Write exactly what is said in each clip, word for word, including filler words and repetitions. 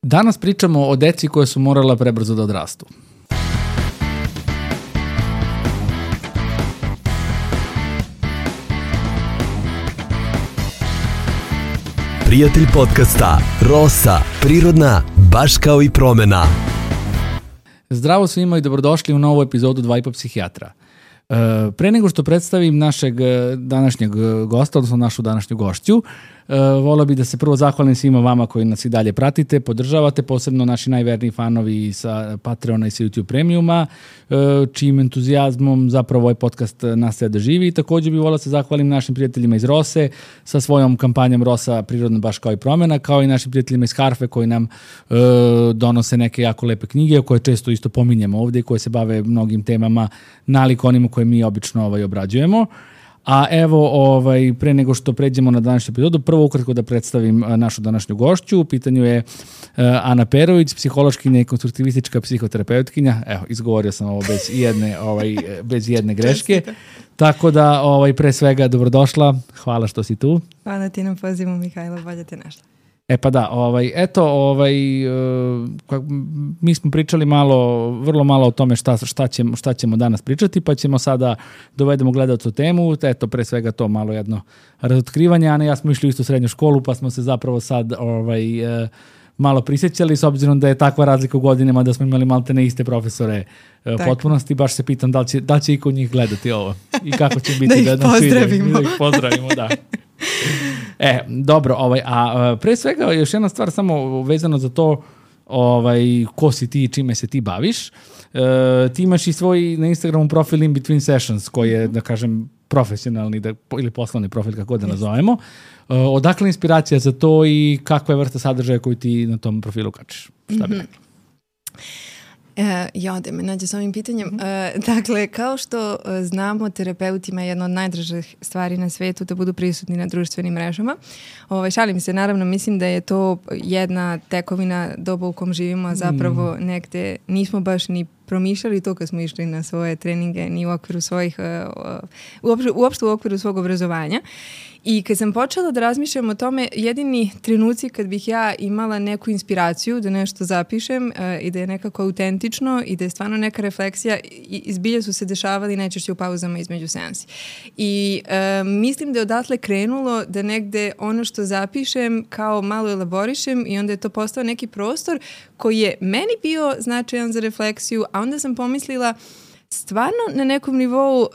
Danas pričamo o deci koje su morala prebrzo da odrastu. Prijatelj podcasta Rosa, prirodna, baš kao i promena. Zdravo svima i dobrodošli u novu epizodu Dva i po psihijatra. E, pre nego što predstavim našeg današnjeg gosta, odnosno našu današnju gošću, e, volio bih da se prvo zahvalim svima vama koji nas i dalje pratite, podržavate, posebno naši najverniji fanovi sa Patreona i sa YouTube Premiuma, e, čijim entuzijazmom zapravo ovaj podcast nastaje da živi. I također bih volio da se zahvalim našim prijateljima iz Rose sa svojom kampanjom Rosa, prirodna, baš kao i promena, kao i našim prijateljima iz Harfe koji nam e, donose neke jako lepe knjige koje često isto pominjemo ovdje i koje se bave mnogim temama nalik onima koje mi obično ovaj, obrađujemo. A evo, ovaj, pre nego što pređemo na današnju epizodu, prvo ukratko da predstavim našu današnju gošću. U pitanju je uh, Ana Perović, psihološkinja i konstruktivistička psihoterapeutkinja. Evo, izgovorio sam ovo bez jedne, ovaj, bez jedne greške. Tako da, ovaj, pre svega, dobrodošla. Hvala što si tu. Hvala ti na pozivu, Mihajlo, bolje te našla. E pa da, ovaj, eto, ovaj, uh, mi smo pričali malo, vrlo malo o tome šta, šta, ćemo, šta ćemo danas pričati, pa ćemo sada dovedemo gledalcu temu, eto, pre svega to malo jedno razotkrivanje. Ana i ja smo išli u istu srednju školu, pa smo se zapravo sad ovaj, uh, malo prisjećali, s obzirom da je takva razlika u godinama da smo imali malte ne iste profesore uh, potpunosti, baš se pitam da li će, da li će iko njih gledati ovo i kako će biti da ih da, pozdravimo. Da ih pozdravimo, da. E, dobro, ovaj, a pre svega još jedna stvar samo vezano za to ovaj, ko si ti i čime se ti baviš. E, ti imaš i svoj na Instagramu profil In Between Sessions koji je, da kažem, profesionalni da, ili poslovni profil, kako da nazovemo. E, odakle inspiracija za to i kakva je vrsta sadržaja koju ti na tom profilu kačiš? Šta bi rekla? E, ja, da me nađe s ovim pitanjem. Mm-hmm. E, dakle, kao što znamo, terapeutima je jedna od najdražih stvari na svetu da budu prisutni na društvenim mrežama. Ovaj, šalim se, naravno, mislim da je to jedna tekovina doba u kom živimo, a zapravo mm. negde nismo baš ni promišljali to kad smo išli na svoje treninge, ni u okviru svojih, uopšte, uopšte u okviru svog obrazovanja. I kad sam počela da razmišljam o tome, jedini trenuci kad bih ja imala neku inspiraciju da nešto zapišem uh, i da je nekako autentično i da je stvarno neka refleksija, izbilje su se dešavali najčešće u pauzama između seansi. I uh, mislim da je odatle krenulo da negde ono što zapišem kao malo elaborišem i onda je to postao neki prostor koji je meni bio značajan za refleksiju, a onda sam pomislila stvarno na nekom nivou uh,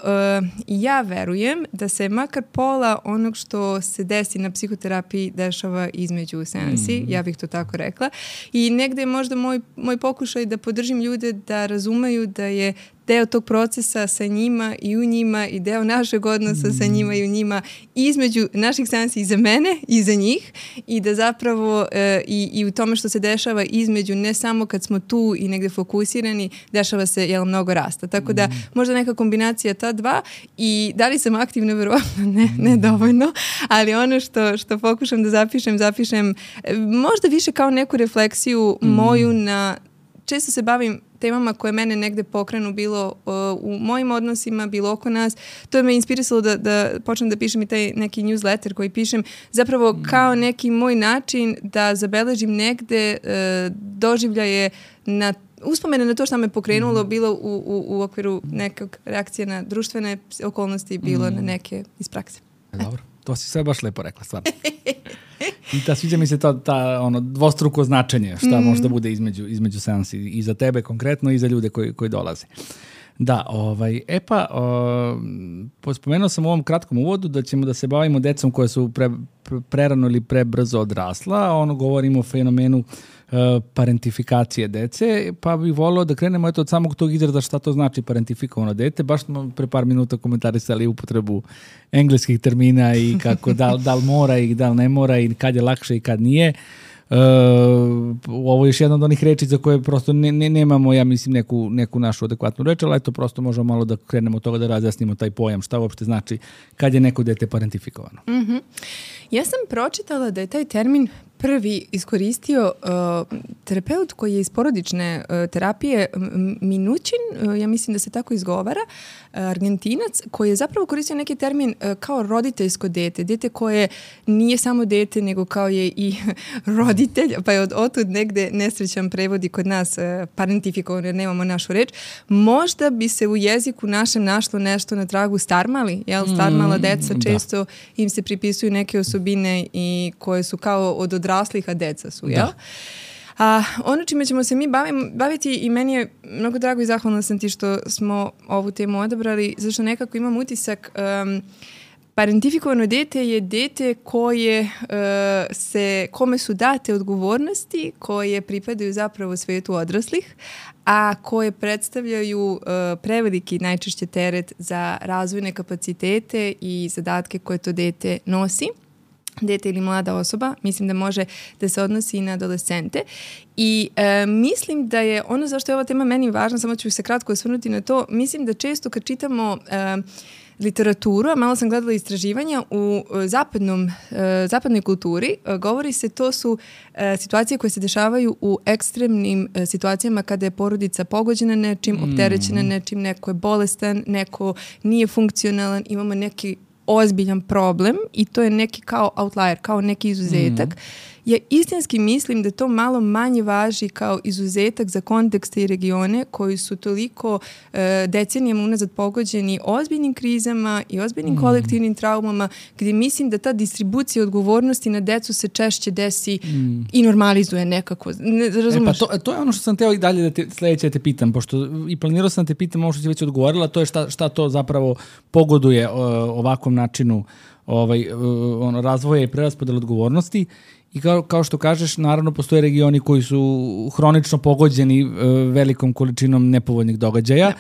ja verujem da se makar pola onog što se desi na psihoterapiji dešava između seansi, mm. ja bih to tako rekla. I negde je možda moj, moj pokušaj da podržim ljude da razumeju da je deo tog procesa sa njima i u njima i deo našeg odnosa mm. sa njima i u njima između naših seansi i za mene i za njih i da zapravo e, i, i u tome što se dešava između ne samo kad smo tu i negde fokusirani, dešava se jel, mnogo rasta. Tako da možda neka kombinacija ta dva i da li sam aktivna, verovatno ne, ne dovoljno, ali ono što, što pokušam da zapišem, zapišem možda više kao neku refleksiju mm. moju na, često se bavim temama koje mene negde pokrenu bilo uh, u mojim odnosima, bilo oko nas. To je me inspirisalo da, da počnem da pišem i taj neki newsletter koji pišem zapravo mm. kao neki moj način da zabeležim negde uh, doživljaje na uspomene na to što me pokrenulo, mm. bilo u, u, u okviru nekog reakcije na društvene okolnosti, bilo mm. na neke iz prakse. Dobro, to si sve baš lepo rekla, stvarno. I ta sviđa mi se ta, ta ono, dvostruko značenje šta mm. može da bude između, između seansi i za tebe konkretno i za ljude koji, koji dolaze. Da, ovaj, e pa, o, spomenuo sam u ovom kratkom uvodu da ćemo da se bavimo decom koje su pre, pre, prerano ili prebrzo odrasla, ono govorimo o fenomenu uh, parentifikacije dece, pa bih volio da krenemo eto od samog tog izraza šta to znači parentifikovano dete. Baš smo pre par minuta komentarisali upotrebu engleskih termina i kako da, da li mora i da li ne mora i kad je lakše i kad nije. Uh, ovo je još jedna od onih reči za koje prosto ne, ne, nemamo, ja mislim, neku, neku našu adekvatnu reč, ali eto prosto možemo malo da krenemo od toga da razjasnimo taj pojam, šta uopšte znači kad je neko dete parentifikovano. Mm-hmm. Ja sam pročitala da je taj termin prvi iskoristio uh, terapeut koji je iz porodične uh, terapije Minućin, uh, ja mislim da se tako izgovara, uh, Argentinac, koji je zapravo koristio neki termin uh, kao roditeljsko dete, dete koje nije samo dete, nego kao je i roditelj, pa je od otud negde nesrećan prevodi kod nas uh, parentifikovan, jer nemamo našu reč. Možda bi se u jeziku našem našlo nešto na tragu starmali, jel? Starmala deca mm, često da. Im se pripisuju neke osobine i koje su kao od odraslih, a deca su, jel? Da. A ono čime ćemo se mi bavim, baviti i meni je mnogo drago i zahvalna sam ti što smo ovu temu odabrali, zašto nekako imam utisak um, parentifikovano dete je dete koje uh, se, kome su date odgovornosti koje pripadaju zapravo svetu odraslih, a koje predstavljaju uh, preveliki najčešće teret za razvojne kapacitete i zadatke koje to dete nosi. Dete ili mlada osoba, mislim da može da se odnosi i na adolescente. I e, mislim da je ono zašto je ova tema meni važna, samo ću se kratko osvrnuti na to, mislim da često kad čitamo e, literaturu, a malo sam gledala istraživanja u zapadnom, e, zapadnoj kulturi, e, govori se to su e, situacije koje se dešavaju u ekstremnim e, situacijama kada je porodica pogođena nečim, mm. opterećena nečim, neko je bolestan, neko nije funkcionalan, imamo neki ozbiljan problem i to je neki kao outlier, kao neki izuzetak. Mm. Ja istinski mislim da to malo manje važi kao izuzetak za kontekste i regione koji su toliko e, decenijama unazad pogođeni ozbiljnim krizama i ozbiljnim mm. kolektivnim traumama, gdje mislim da ta distribucija odgovornosti na decu se češće desi mm. i normalizuje nekako. Ne, razumeš? E pa to, to je ono što sam teo i dalje da te, sledeće da te pitam, pošto i planirao sam da te pitam ovo što si već odgovorila, to je šta, šta to zapravo pogoduje o, ovakvom načinu ovaj, ono, razvoja i preraspodela odgovornosti. I kao, kao što kažeš, naravno postoje regioni koji su hronično pogođeni e, velikom količinom nepovoljnih događaja, ja.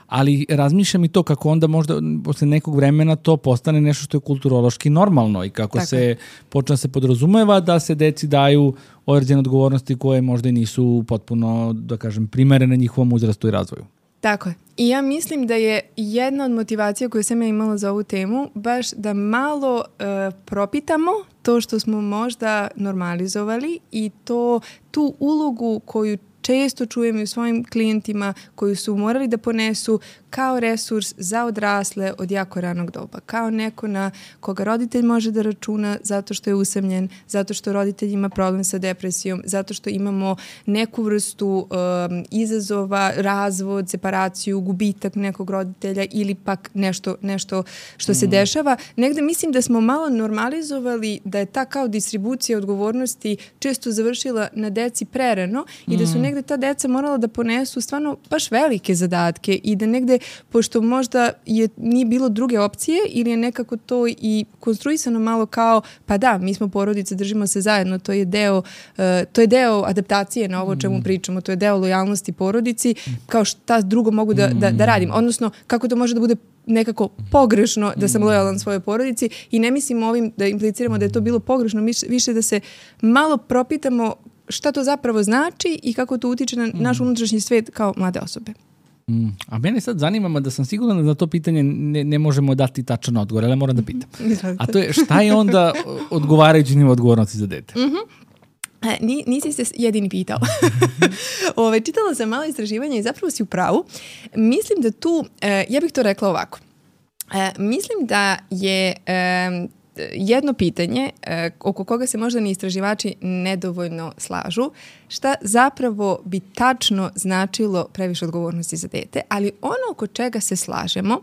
Ali razmišljam i to kako onda možda posle nekog vremena to postane nešto što je kulturološki normalno i kako tako se počne se podrazumeva da se deci daju određene odgovornosti koje možda i nisu potpuno, da kažem, primerene njihovom uzrastu i razvoju. Tako je. I ja mislim da je jedna od motivacija koju sam ja imala za ovu temu baš da malo uh, propitamo to što smo možda normalizovali i to tu ulogu koju često čujem i u svojim klijentima koji su morali da ponesu kao resurs za odrasle od jako ranog doba. Kao neko na koga roditelj može da računa zato što je usamljen, zato što roditelj ima problem sa depresijom, zato što imamo neku vrstu um, izazova, razvod, separaciju, gubitak nekog roditelja ili pak nešto, nešto što mm. se dešava. Negde mislim da smo malo normalizovali da je ta kao distribucija odgovornosti često završila na deci prerano i da su negde ta deca morala da ponesu stvarno baš velike zadatke i da negde, pošto možda je, nije bilo druge opcije ili je nekako to i konstruisano malo kao, pa da, mi smo porodice, držimo se zajedno, to je deo, uh, to je deo adaptacije na ovo o čemu pričamo, to je deo lojalnosti porodici, kao šta drugo mogu da, da, da radim. Odnosno, kako to može da bude nekako pogrešno da sam lojalan svojoj porodici i ne mislim ovim da impliciramo da je to bilo pogrešno, više da se malo propitamo šta to zapravo znači i kako to utiče na naš unutrašnji svet kao mlade osobe. Mm. A mene sad zanima da sam sigurna da na to pitanje ne, ne možemo dati tačan odgovor, ali moram da pitam. A to je šta je onda odgovarajući nivo odgovornosti za dete? Mhm. E, nisi se jedini pitao. Ove, čitala sam malo istraživanja i zapravo si u pravu. Mislim da tu, e, ja bih to rekla ovako. E, mislim da je e, jedno pitanje e, oko koga se možda ni istraživači nedovoljno slažu, šta zapravo bi tačno značilo previše odgovornosti za dete, ali ono oko čega se slažemo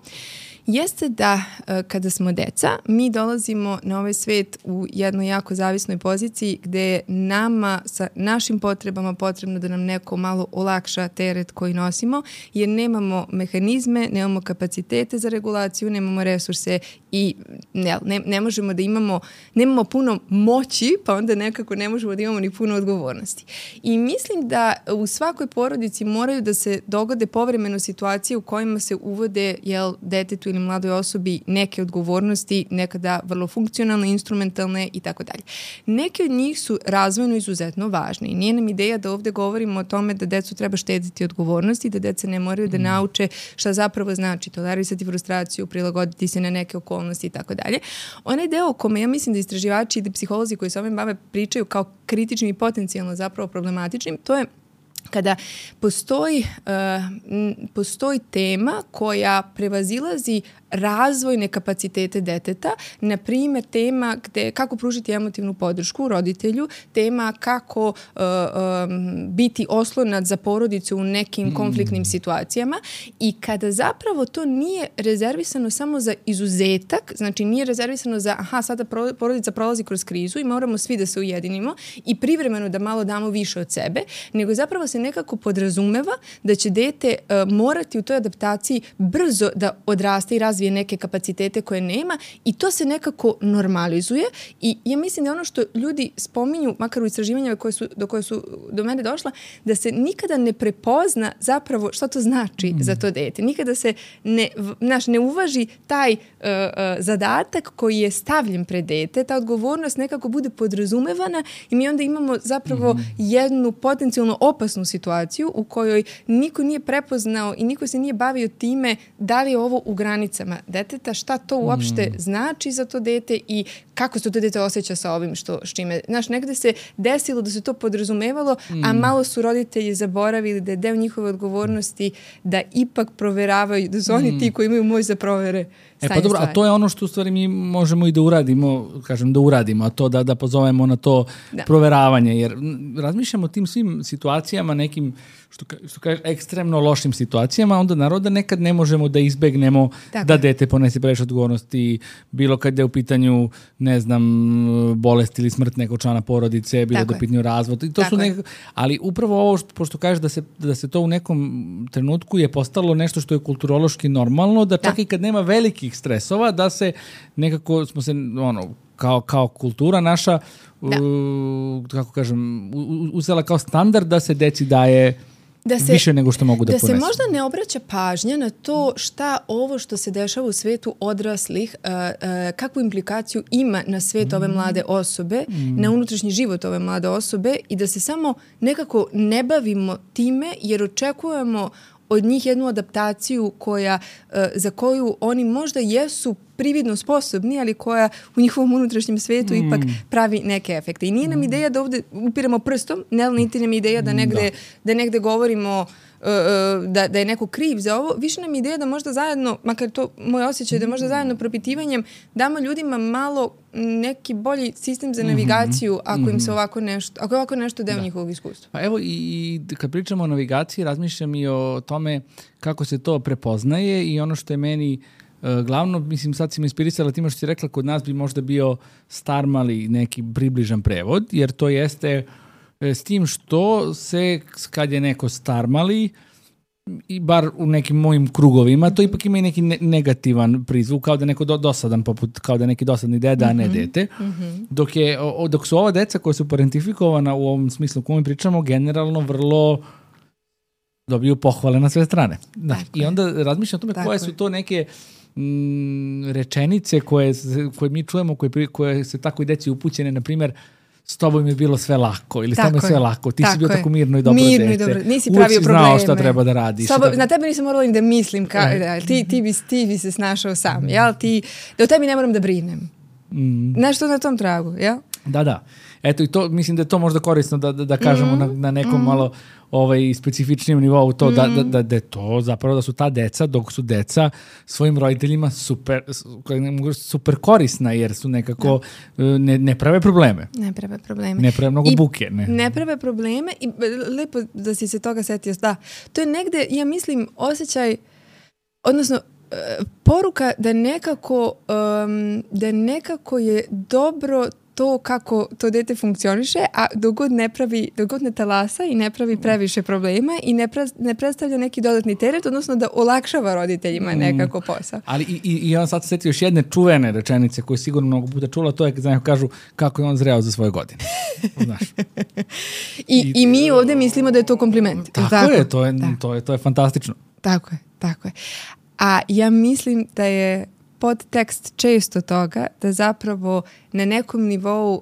jeste da e, kada smo deca, mi dolazimo na ovaj svet u jednoj jako zavisnoj poziciji gde je nama sa našim potrebama potrebno da nam neko malo olakša teret koji nosimo, jer nemamo mehanizme, nemamo kapacitete za regulaciju, nemamo resurse i ne, ne, ne možemo da imamo, nemamo puno moći, pa onda nekako ne možemo da imamo ni puno odgovornosti. I mislim da u svakoj porodici moraju da se dogode povremeno situacije u kojima se uvode jel, detetu ili postavljam mladoj osobi neke odgovornosti, nekada vrlo funkcionalne, instrumentalne i tako dalje. Neke od njih su razvojno izuzetno važne i nije nam ideja da ovde govorimo o tome da decu treba štediti odgovornosti, da deca ne moraju da nauče šta zapravo znači tolerisati frustraciju, prilagoditi se na neke okolnosti i tako dalje. Onaj deo o kome ja mislim da istraživači i da psiholozi koji se ovim bave pričaju kao kritičnim i potencijalno zapravo problematičnim, to je kada postoji, uh, postoji tema koja prevazilazi razvojne kapacitete deteta, na primjer tema gde, kako pružiti emotivnu podršku roditelju, tema kako uh, um, biti oslonac za porodicu u nekim mm. konfliktnim situacijama i kada zapravo to nije rezervisano samo za izuzetak, znači nije rezervisano za aha, sada porodica prolazi kroz krizu i moramo svi da se ujedinimo i privremeno da malo damo više od sebe, nego zapravo se nekako podrazumeva da će dete uh, morati u toj adaptaciji brzo da odraste i razvije neke kapacitete koje nema i to se nekako normalizuje i ja mislim da ono što ljudi spominju, makar u istraživanjima koje su, do koje su do mene došla, da se nikada ne prepozna zapravo šta to znači mm. za to dete. Nikada se ne, naš, ne uvaži taj uh, uh, zadatak koji je stavljen pred dete, ta odgovornost nekako bude podrazumevana i mi onda imamo zapravo mm. jednu potencijalno opasnu situaciju u kojoj niko nije prepoznao i niko se nije bavio time da li je ovo u granicama deteta, šta to uopšte mm. znači za to dete i kako se to dete osjeća sa ovim što, s čime. Znaš, negde se desilo da se to podrazumevalo, mm. a malo su roditelji zaboravili da je deo njihove odgovornosti da ipak proveravaju, da su oni mm. ti koji imaju moć za provere stanje E pa dobro, stvari. A to je ono što u stvari mi možemo i da uradimo, kažem da uradimo, a to da, da pozovemo na to da. proveravanje, jer razmišljamo o tim svim situacijama, nekim što, što kaže, ekstremno lošim situacijama, onda naroda nekad ne možemo da izbegnemo Tako. da dete ponese previše odgovornosti, bilo kad je u pitanju, ne znam, bolest ili smrt nekog člana porodice, bilo da u pitanju razvod. I to su nek... Ali upravo ovo, što, pošto kažeš da se, da se to u nekom trenutku je postalo nešto što je kulturološki normalno, da čak da. i kad nema velikih stresova, da se nekako smo se, ono, kao, kao kultura naša, da. u, kako kažem, u, uzela kao standard da se deci daje Da se, više nego što mogu da, da ponesu. Da se možda ne obraća pažnja na to šta ovo što se dešava u svetu odraslih, uh, uh, kakvu implikaciju ima na svet ove mlade osobe, mm. na unutrašnji život ove mlade osobe i da se samo nekako ne bavimo time jer očekujemo od njih jednu adaptaciju koja, uh, za koju oni možda jesu prividno sposobni, ali koja u njihovom unutrašnjem svetu mm. ipak pravi neke efekte. I nije nam ideja da ovde upiramo prstom, ne, niti nam ideja da negde, da. da negde govorimo uh, da, da je neko kriv za ovo. Više nam ideja da možda zajedno, makar to moj osjećaj, da možda zajedno propitivanjem damo ljudima malo neki bolji sistem za navigaciju mm-hmm. ako im se ovako nešto, ako je ovako nešto deo da. njihovog iskustva. Pa evo i kad pričamo o navigaciji, razmišljam i o tome kako se to prepoznaje i ono što je meni Uh, glavno, mislim, sad si me inspirisala time što si rekla, kod nas bi možda bio Starmali neki približan prevod, jer to jeste e, s tim što se, kad je neko Starmali, i bar u nekim mojim krugovima, to ipak ima i neki ne- negativan prizvuk, kao da neko do, dosadan, poput, kao da neki dosadni deda, mm-hmm. a ne dete. Mm-hmm. Dok, je, o, dok su ova deca koja su parentifikovana u ovom smislu kojem pričamo, generalno vrlo dobiju pohvale na sve strane. Da. I onda razmišljam o tome Tako koje su to neke m, rečenice koje, koje mi čujemo, koje, koje se tako i deci upućene, na primjer, s tobom je bilo sve lako ili s tobom je sve lako, ti tako si bio je. tako mirno i dobro mirno dete. I dobro. Nisi pravio Uvijek si probleme. znao šta treba da radiš. Sobo, na tebe nisam morala ni da mislim, ka, da, ti, ti, bi, ti bi se snašao sam, jel? Ti, da o tebi ne moram da brinem. Mm. Nešto na tom tragu, jel? Da, da. Eto i to, mislim da je to možda korisno da, da, da kažemo mm-hmm. na, na nekom mm-hmm. malo ovaj, specifičnijem nivou to, mm-hmm. da, da, da je to zapravo da su ta deca, dok su deca svojim roditeljima super, super korisna jer su nekako, da. ne, ne prave probleme. Ne prave probleme. Ne prave mnogo I buke. Ne. ne prave probleme i lepo da si se toga setio. Da, to je negde, ja mislim, osjećaj, odnosno, poruka da nekako, um, da nekako je dobro to kako to dete funkcioniše, a dok god ne pravi, dok god ne talasa i ne pravi previše problema i ne, pre, ne predstavlja neki dodatni teret, odnosno da olakšava roditeljima nekako posao. Ali i, i, i on sad se setio još jedne čuvene rečenice koje sigurno mnogo puta čula, to je kad znaju kažu kako je on zreo za svoje godine. Znaš. I, I, I mi ovde mislimo da je to kompliment. Tako, tako? je, to je, to je, to je fantastično. Tako je, tako je. A ja mislim da je podtekst često toga da zapravo na nekom nivou uh,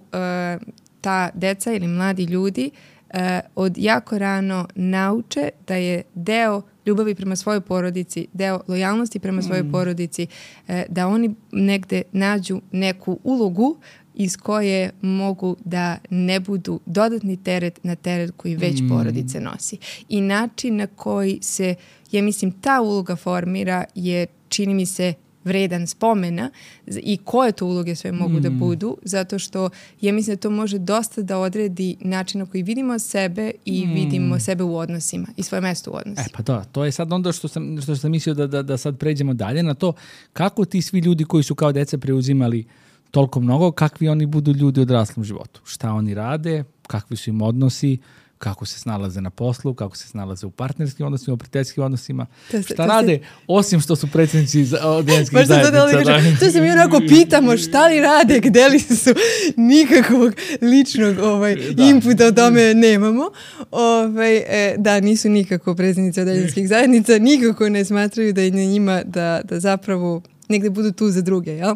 ta deca ili mladi ljudi uh, od jako rano nauče da je deo ljubavi prema svojoj porodici, deo lojalnosti prema svojoj mm. porodici, uh, da oni negde nađu neku ulogu iz koje mogu da ne budu dodatni teret na teret koji već mm. porodice nosi. I način na koji se, ja mislim, ta uloga formira je, čini mi se, vredan spomena i koje to uloge sve mogu mm. da budu, zato što ja mislim da to može dosta da odredi način na koji vidimo sebe i mm. vidimo sebe u odnosima i svoje mesto u odnosima. E pa da, to je sad onda što sam, što sam mislio da, da, da sad pređemo dalje na to kako ti svi ljudi koji su kao deca preuzimali toliko mnogo, kakvi oni budu ljudi u odraslom životu. Šta oni rade, kakvi su im odnosi, kako se snalaze na poslu, kako se snalaze u partnerskim odnosima, u prijateljskim odnosima. To se, šta to rade, se... osim što su predsjednici ženskih zajednica. Da, to se mi onako pitamo šta li rade, gde li su, nikakvog ličnog ovaj, inputa o tome nemamo. Ovaj, e, da, nisu nikako predsjednici ženskih zajednica, nikako ne smatraju da je na njima da, da zapravo negde budu tu za druge, jel?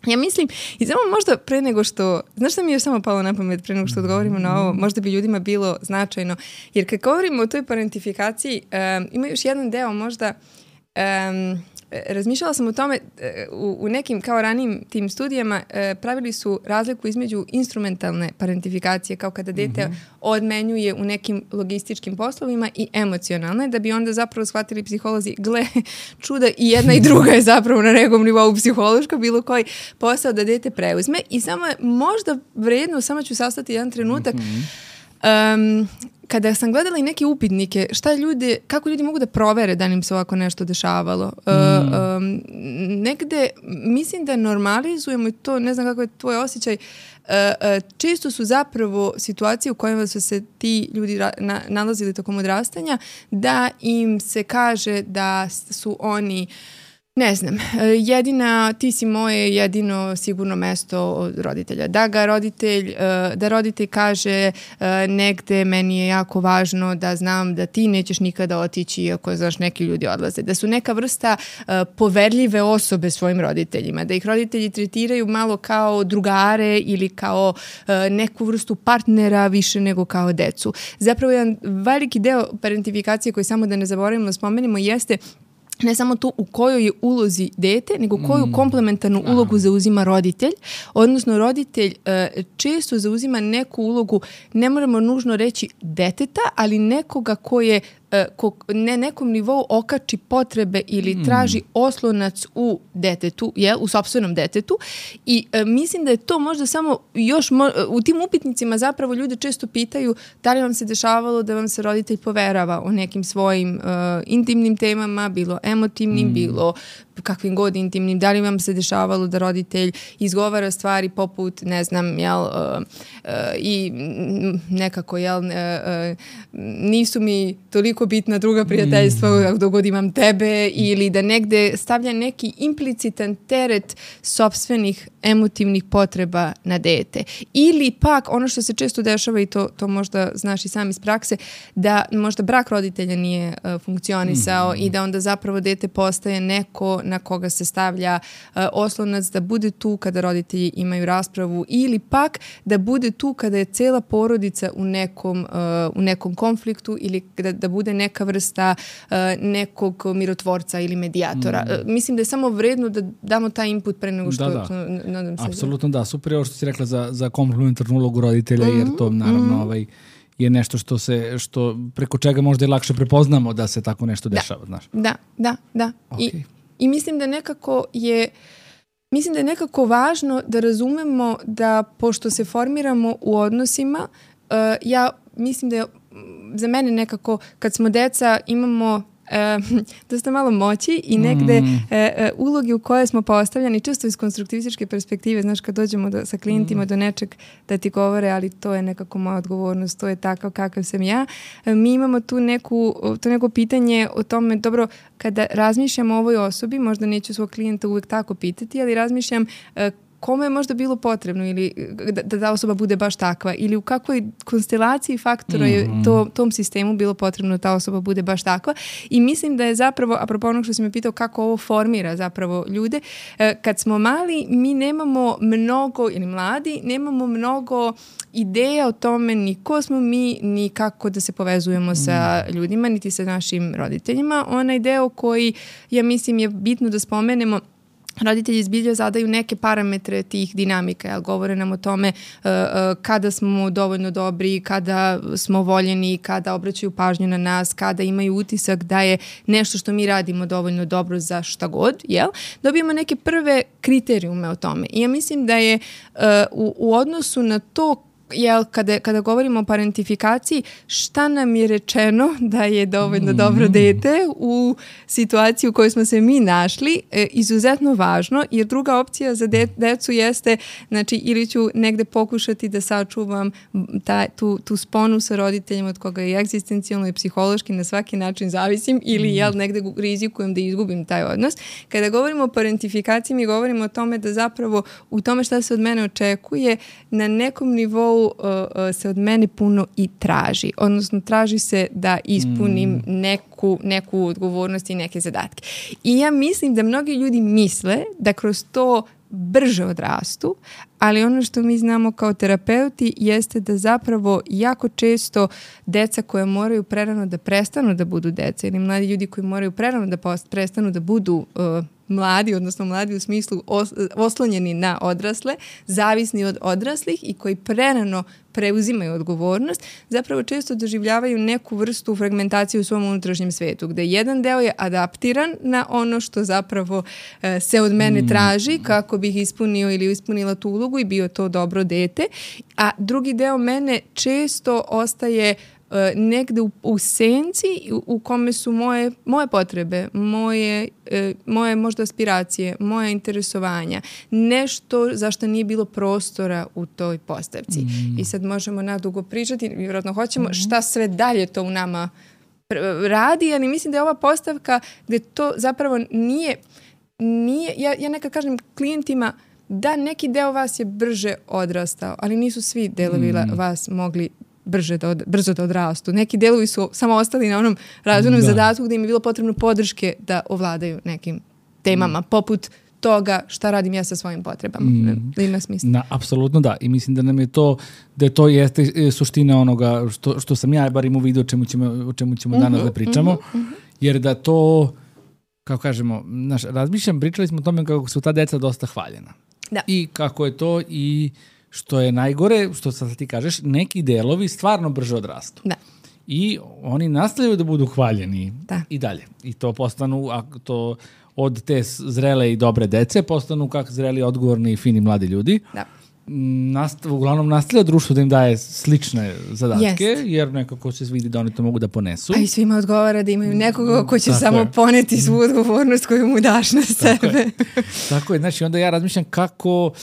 Ja mislim, i samo možda pre nego što, znaš šta mi je samo palo na pamet pre nego što odgovorimo na ovo, možda bi ljudima bilo značajno, jer kad govorimo o toj parentifikaciji, um, ima još jedan deo možda, um, razmišljala sam o tome u, u nekim kao ranijim tim studijama e, pravili su razliku između instrumentalne parentifikacije kao kada dete mm-hmm. odmenjuje u nekim logističkim poslovima i emocionalne, da bi onda zapravo shvatili psiholozi, gle, čuda i jedna i druga je zapravo na nekom nivou psihološka, bilo koji posao da dete preuzme i samo je možda vredno, samo ću sastati jedan trenutak, mm-hmm. um, kada sam gledala i neke upitnike, šta ljudi, kako ljudi mogu da provere da im se ovako nešto dešavalo. Mm. Uh, um, negde, mislim da normalizujemo i to, ne znam kako je tvoj osjećaj, uh, uh, često su zapravo situacije u kojima su se ti ljudi ra- na, nalazili tokom odrastanja, da im se kaže da su oni ne znam, jedina, ti si moje jedino sigurno mesto od roditelja. Da ga roditelj, da roditelj kaže negde meni je jako važno da znam da ti nećeš nikada otići iako, znaš, neki ljudi odlaze. Da su neka vrsta poverljive osobe svojim roditeljima. Da ih roditelji tretiraju malo kao drugare ili kao neku vrstu partnera više nego kao decu. Zapravo jedan veliki deo parentifikacije koji samo da ne zaboravimo da spomenimo jeste ne samo to u kojoj je ulozi dete, nego koju mm. komplementarnu ulogu zauzima roditelj. Odnosno, roditelj uh, često zauzima neku ulogu, ne moramo nužno reći deteta, ali nekoga ko je Ko, ne nekom nivou okači potrebe ili traži oslonac u detetu, jel, u sopstvenom detetu i e, mislim da je to možda samo još, mo, u tim upitnicima zapravo ljude često pitaju da li vam se dešavalo da vam se roditelj poverava o nekim svojim uh, intimnim temama, bilo emotivnim, mm. bilo kakvim god intimnim, da li vam se dešavalo da roditelj izgovara stvari poput, ne znam, jel, uh, uh, i nekako, jel, uh, uh, nisu mi toliko bitna druga prijateljstva mm. dok god imam tebe, ili da negde stavlja neki implicitan teret sopstvenih emotivnih potreba na dete. Ili pak, ono što se često dešava, i to, to možda znaš i sam iz prakse, da možda brak roditelja nije uh, funkcionisao mm. i da onda zapravo dete postaje neko na koga se stavlja uh, oslonac da bude tu kada roditelji imaju raspravu, ili pak da bude tu kada je cela porodica u nekom, uh, u nekom konfliktu, ili da, da bude neka vrsta uh, nekog mirotvorca ili medijatora. Mm. Uh, mislim da je samo vredno da damo taj input pre nego što... Da, da. Nadam se apsolutno da. da. Super je ovo što si rekla za, za komplementarnu ulogu roditelja, mm-hmm. jer to naravno mm-hmm. ovaj, je nešto što se, što preko čega možda i lakše prepoznamo da se tako nešto dešava. Da, znaš. da, da. da. Okay. I, I mislim da nekako je Mislim da je nekako važno da razumemo da pošto se formiramo u odnosima, uh, ja mislim da je za mene nekako kad smo deca imamo E, dosta malo moći i negde mm. e, e, ulogi u koje smo postavljani često iz konstruktivističke perspektive, znaš, kad dođemo do, sa klijentima mm. do nečeg da ti govore, ali to je nekako moja odgovornost, to je takav kakav sam ja. E, mi imamo tu neku, to neko pitanje o tome, dobro, kada razmišljam o ovoj osobi, možda neću svog klijenta uvek tako pitati, ali razmišljam e, kome je možda bilo potrebno ili da, da ta osoba bude baš takva ili u kakvoj konstelaciji faktora je to, tom sistemu bilo potrebno da ta osoba bude baš takva. I mislim da je zapravo, apropo onog što si me pitao kako ovo formira zapravo ljude, kad smo mali mi nemamo mnogo, ili mladi, nemamo mnogo ideja o tome ni ko smo mi, ni kako da se povezujemo sa ljudima, niti sa našim roditeljima. Onaj deo koji, ja mislim, je bitno da spomenemo, roditelji zbilja zadaju neke parametre tih dinamika, jel, govore nam o tome uh, uh, kada smo dovoljno dobri, kada smo voljeni, kada obraćaju pažnju na nas, kada imaju utisak da je nešto što mi radimo dovoljno dobro za šta god, jel? Dobijemo neke prve kriterijume o tome. I ja mislim da je uh, u, u odnosu na to jel, kada, kada govorimo o parentifikaciji, šta nam je rečeno da je dovoljno mm. dobro dete u situaciji u kojoj smo se mi našli, e, izuzetno važno, jer druga opcija za de, decu jeste, znači, ili ću negde pokušati da sačuvam ta, tu, tu sponu sa roditeljima od koga je egzistencijalno i psihološki na svaki način zavisim, ili mm. jel, negde rizikujem da izgubim taj odnos. Kada govorimo o parentifikaciji, mi govorimo o tome da zapravo u tome šta se od mene očekuje, na nekom nivou Uh, uh, se od mene puno i traži. Odnosno, traži se da ispunim mm. neku, neku odgovornost i neke zadatke. I ja mislim da mnogi ljudi misle da kroz to brže odrastu, ali ono što mi znamo kao terapeuti jeste da zapravo jako često deca koja moraju prerano da prestanu da budu deca ili mladi ljudi koji moraju prerano da post, prestanu da budu uh, mladi, odnosno mladi u smislu os, oslonjeni na odrasle, zavisni od odraslih i koji prerano preuzimaju odgovornost, zapravo često doživljavaju neku vrstu fragmentacije u svom unutrašnjem svetu, gde jedan deo je adaptiran na ono što zapravo e, se od mene traži kako bih ispunio ili ispunila tu ulogu i bio to dobro dete, a drugi deo mene često ostaje negde u, u senci u, u kome su moje, moje potrebe, moje, e, moje možda aspiracije, moje interesovanja, nešto za što nije bilo prostora u toj postavci. Mm. I sad možemo nadugo pričati, vjerojatno hoćemo, mm. šta sve dalje to u nama radi, ali mislim da je ova postavka gde to zapravo nije, nije ja, ja nekad kažem klijentima da neki deo vas je brže odrastao, ali nisu svi delovi mm. vas mogli brže da od, brzo da odrastu. Neki delovi su samo ostali na onom razvojnom da. zadatku gde im je bilo potrebno podrške da ovladaju nekim temama, mm. poput toga šta radim ja sa svojim potrebama. Mm. Da ima smisla. Na, apsolutno da. I mislim da nam je to, da je to jeste suština onoga što, što sam ja bar imao vidio o čemu ćemo, o čemu ćemo mm-hmm, danas da pričamo. Mm-hmm. Jer da to, kako kažemo, naš, razmišljam, pričali smo o tome kako su ta deca dosta hvaljena. Da. I kako je to i što je najgore, što sad ti kažeš, neki delovi stvarno brže odrastu. Da. I oni nastavljaju da budu hvaljeni da. i dalje. I to postanu, a to od te zrele i dobre dece, postanu kako zreli, odgovorni i fini mladi ljudi. Da. Nastav, uglavnom nastavlja društvo da im daje slične zadatke, Jest. jer nekako se vidi da oni to mogu da ponesu. A i svima odgovara da imaju nekoga ko će Tako samo je. poneti svu odgovornost koju mu daš na sebe. Tako je. Tako je. Znači, onda ja razmišljam kako uh,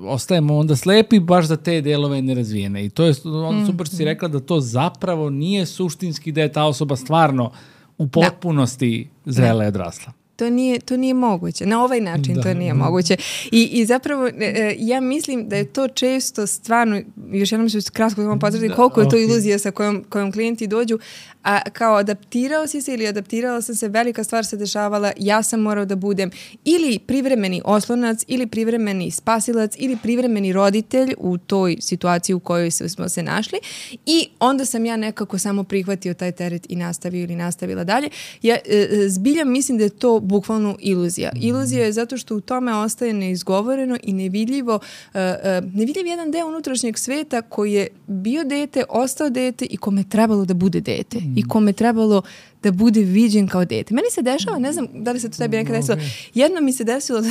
ostajemo onda slepi baš za te delove nerazvijene. I to je onda super što si rekla da to zapravo nije suštinski da je ta osoba stvarno u potpunosti da. zrela i odrasla. To nije, to nije moguće. Na ovaj način da. to nije moguće. I, i zapravo e, ja mislim da je to često stvarno, još jednom ću kratko vam potvrditi koliko je to iluzija sa kojom, kojom klijenti dođu, a kao adaptirao si se ili adaptirala sam se, velika stvar se dešavala, ja sam morao da budem ili privremeni oslonac, ili privremeni spasilac, ili privremeni roditelj u toj situaciji u kojoj smo se našli i onda sam ja nekako samo prihvatio taj teret i nastavio ili nastavila dalje. Ja e, zbilja mislim da je to bukvalno iluzija. Iluzija je zato što u tome ostaje neizgovoreno i nevidljivo, uh, uh, nevidljiv jedan deo unutrašnjeg sveta koji je bio dete, ostao dete i kome je trebalo da bude dete. Mm. I kome je trebalo da bude viđen kao dete. Meni se dešava, ne znam da li se to tebi nekad desilo, jedno mi se desilo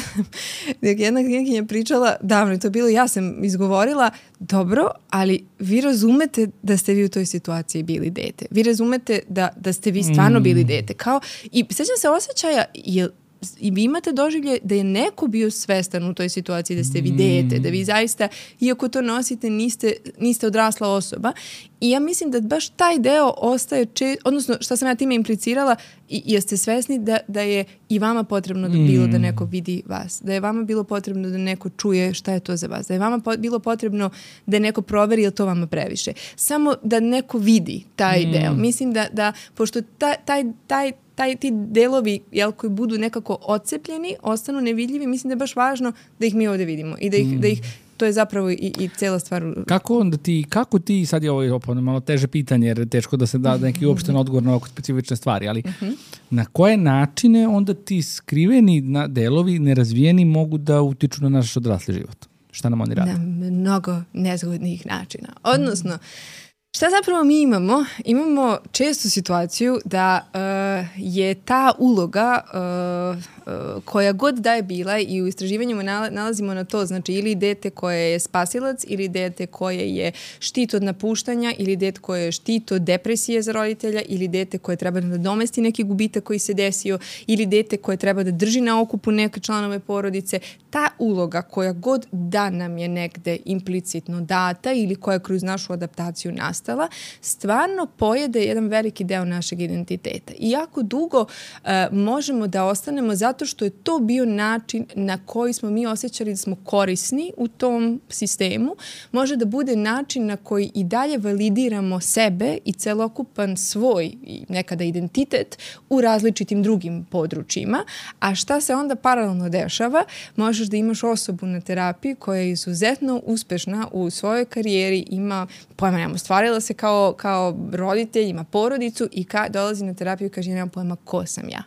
da jedna knjiginja pričala, davno je to bilo, ja sam izgovorila, dobro, ali vi razumete da ste vi u toj situaciji bili dete. Vi razumete da, da ste vi stvarno bili dete. Kao, i sećam se osjećaja, je, i vi imate doživlje da je neko bio svestan u toj situaciji, da ste vi dete, da vi zaista, iako to nosite, niste, niste odrasla osoba. I ja mislim da baš taj deo ostaje, če, odnosno šta sam ja time implicirala, i, jeste svesni da, da je i vama potrebno da bilo da neko vidi vas, da je vama bilo potrebno da neko čuje šta je to za vas, da je vama po, bilo potrebno da neko proveri je to vama previše. Samo da neko vidi taj mm. deo. Mislim da, da pošto taj, taj, taj taj, ti delovi, jel, koji budu nekako odcepljeni, ostanu nevidljivi, mislim da je baš važno da ih mi ovdje vidimo i da ih, mm. da ih to je zapravo i, i cela stvar. Kako onda ti, kako ti, sad je ovo opet malo teže pitanje, jer je teško da se da neki uopšten odgovor na ovako specifične stvari, ali uh-huh. na koje načine onda ti skriveni na delovi, nerazvijeni, mogu da utiču na naš odrasli život? Šta nam oni rade? Na mnogo nezgodnih načina. Odnosno, šta zapravo mi imamo? Imamo čestu situaciju da uh, je ta uloga uh, uh, koja god da je bila i u istraživanjima nalazimo na to, znači ili dete koje je spasilac, ili dete koje je štit od napuštanja, ili dete koje je štit od depresije za roditelja, ili dete koje treba da nadomesti neki gubitak koji se desio, ili dete koje treba da drži na okupu neke članove porodice. Ta uloga koja god da nam je negde implicitno data ili koja je kroz našu adaptaciju nastala, stvarno pojede jedan veliki deo našeg identiteta. I jako dugo uh, možemo da ostanemo zato što je to bio način na koji smo mi osjećali da smo korisni u tom sistemu. Može da bude način na koji i dalje validiramo sebe i celokupan svoj i nekada identitet u različitim drugim područjima. A šta se onda paralelno dešava? Možeš da imaš osobu na terapiji koja je izuzetno uspešna u svojoj karijeri, ima, pojma nemamo, stvarila se kao, kao roditelj, ima porodicu i ka, dolazi na terapiju i kaže, nemam pojma ko sam ja.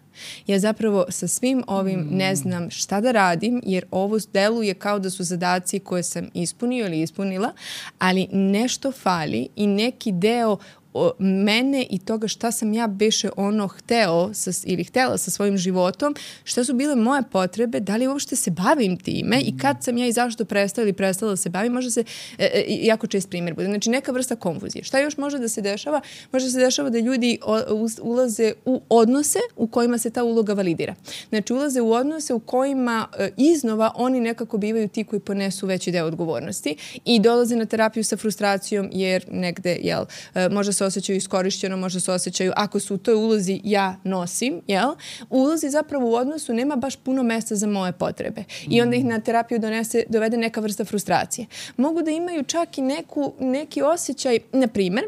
Ja zapravo sa svim ovim ne znam šta da radim, jer ovo deluje kao da su zadaci koje sam ispunio ili ispunila, ali nešto fali i neki deo o mene i toga šta sam ja beše ono hteo sa, ili htela sa svojim životom, šta su bile moje potrebe, da li uopšte se bavim time i kad sam ja i zašto prestala ili prestala da se bavim, može se, e, e, jako čest primjer bude. Znači neka vrsta konfuzije. Šta još može da se dešava? Može da se dešava da ljudi o, u, ulaze u odnose u kojima se ta uloga validira. Znači ulaze u odnose u kojima e, iznova oni nekako bivaju ti koji ponesu veći deo odgovornosti i dolaze na terapiju sa frustracijom jer negde, jel, e, može se osjećaju iskorišćeno, možda se osjećaju, ako su u toj ulozi ja nosim, jel? U ulozi zapravo u odnosu nema baš puno mesta za moje potrebe. I onda ih na terapiju donese, dovede neka vrsta frustracije. Mogu da imaju čak i neku, neki osjećaj, na primjer,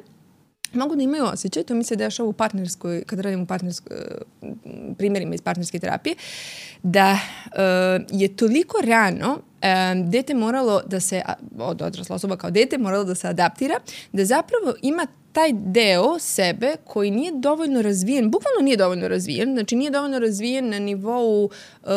mogu da imaju osjećaj, to mi se dešava u partnerskoj, kad radim u partnerskoj, primjerima iz partnerske terapije, da uh, je toliko rano um, dete moralo da se, od odrasla osoba kao dete, moralo da se adaptira, da zapravo ima taj deo sebe koji nije dovoljno razvijen, bukvalno nije dovoljno razvijen, znači nije dovoljno razvijen na nivou uh,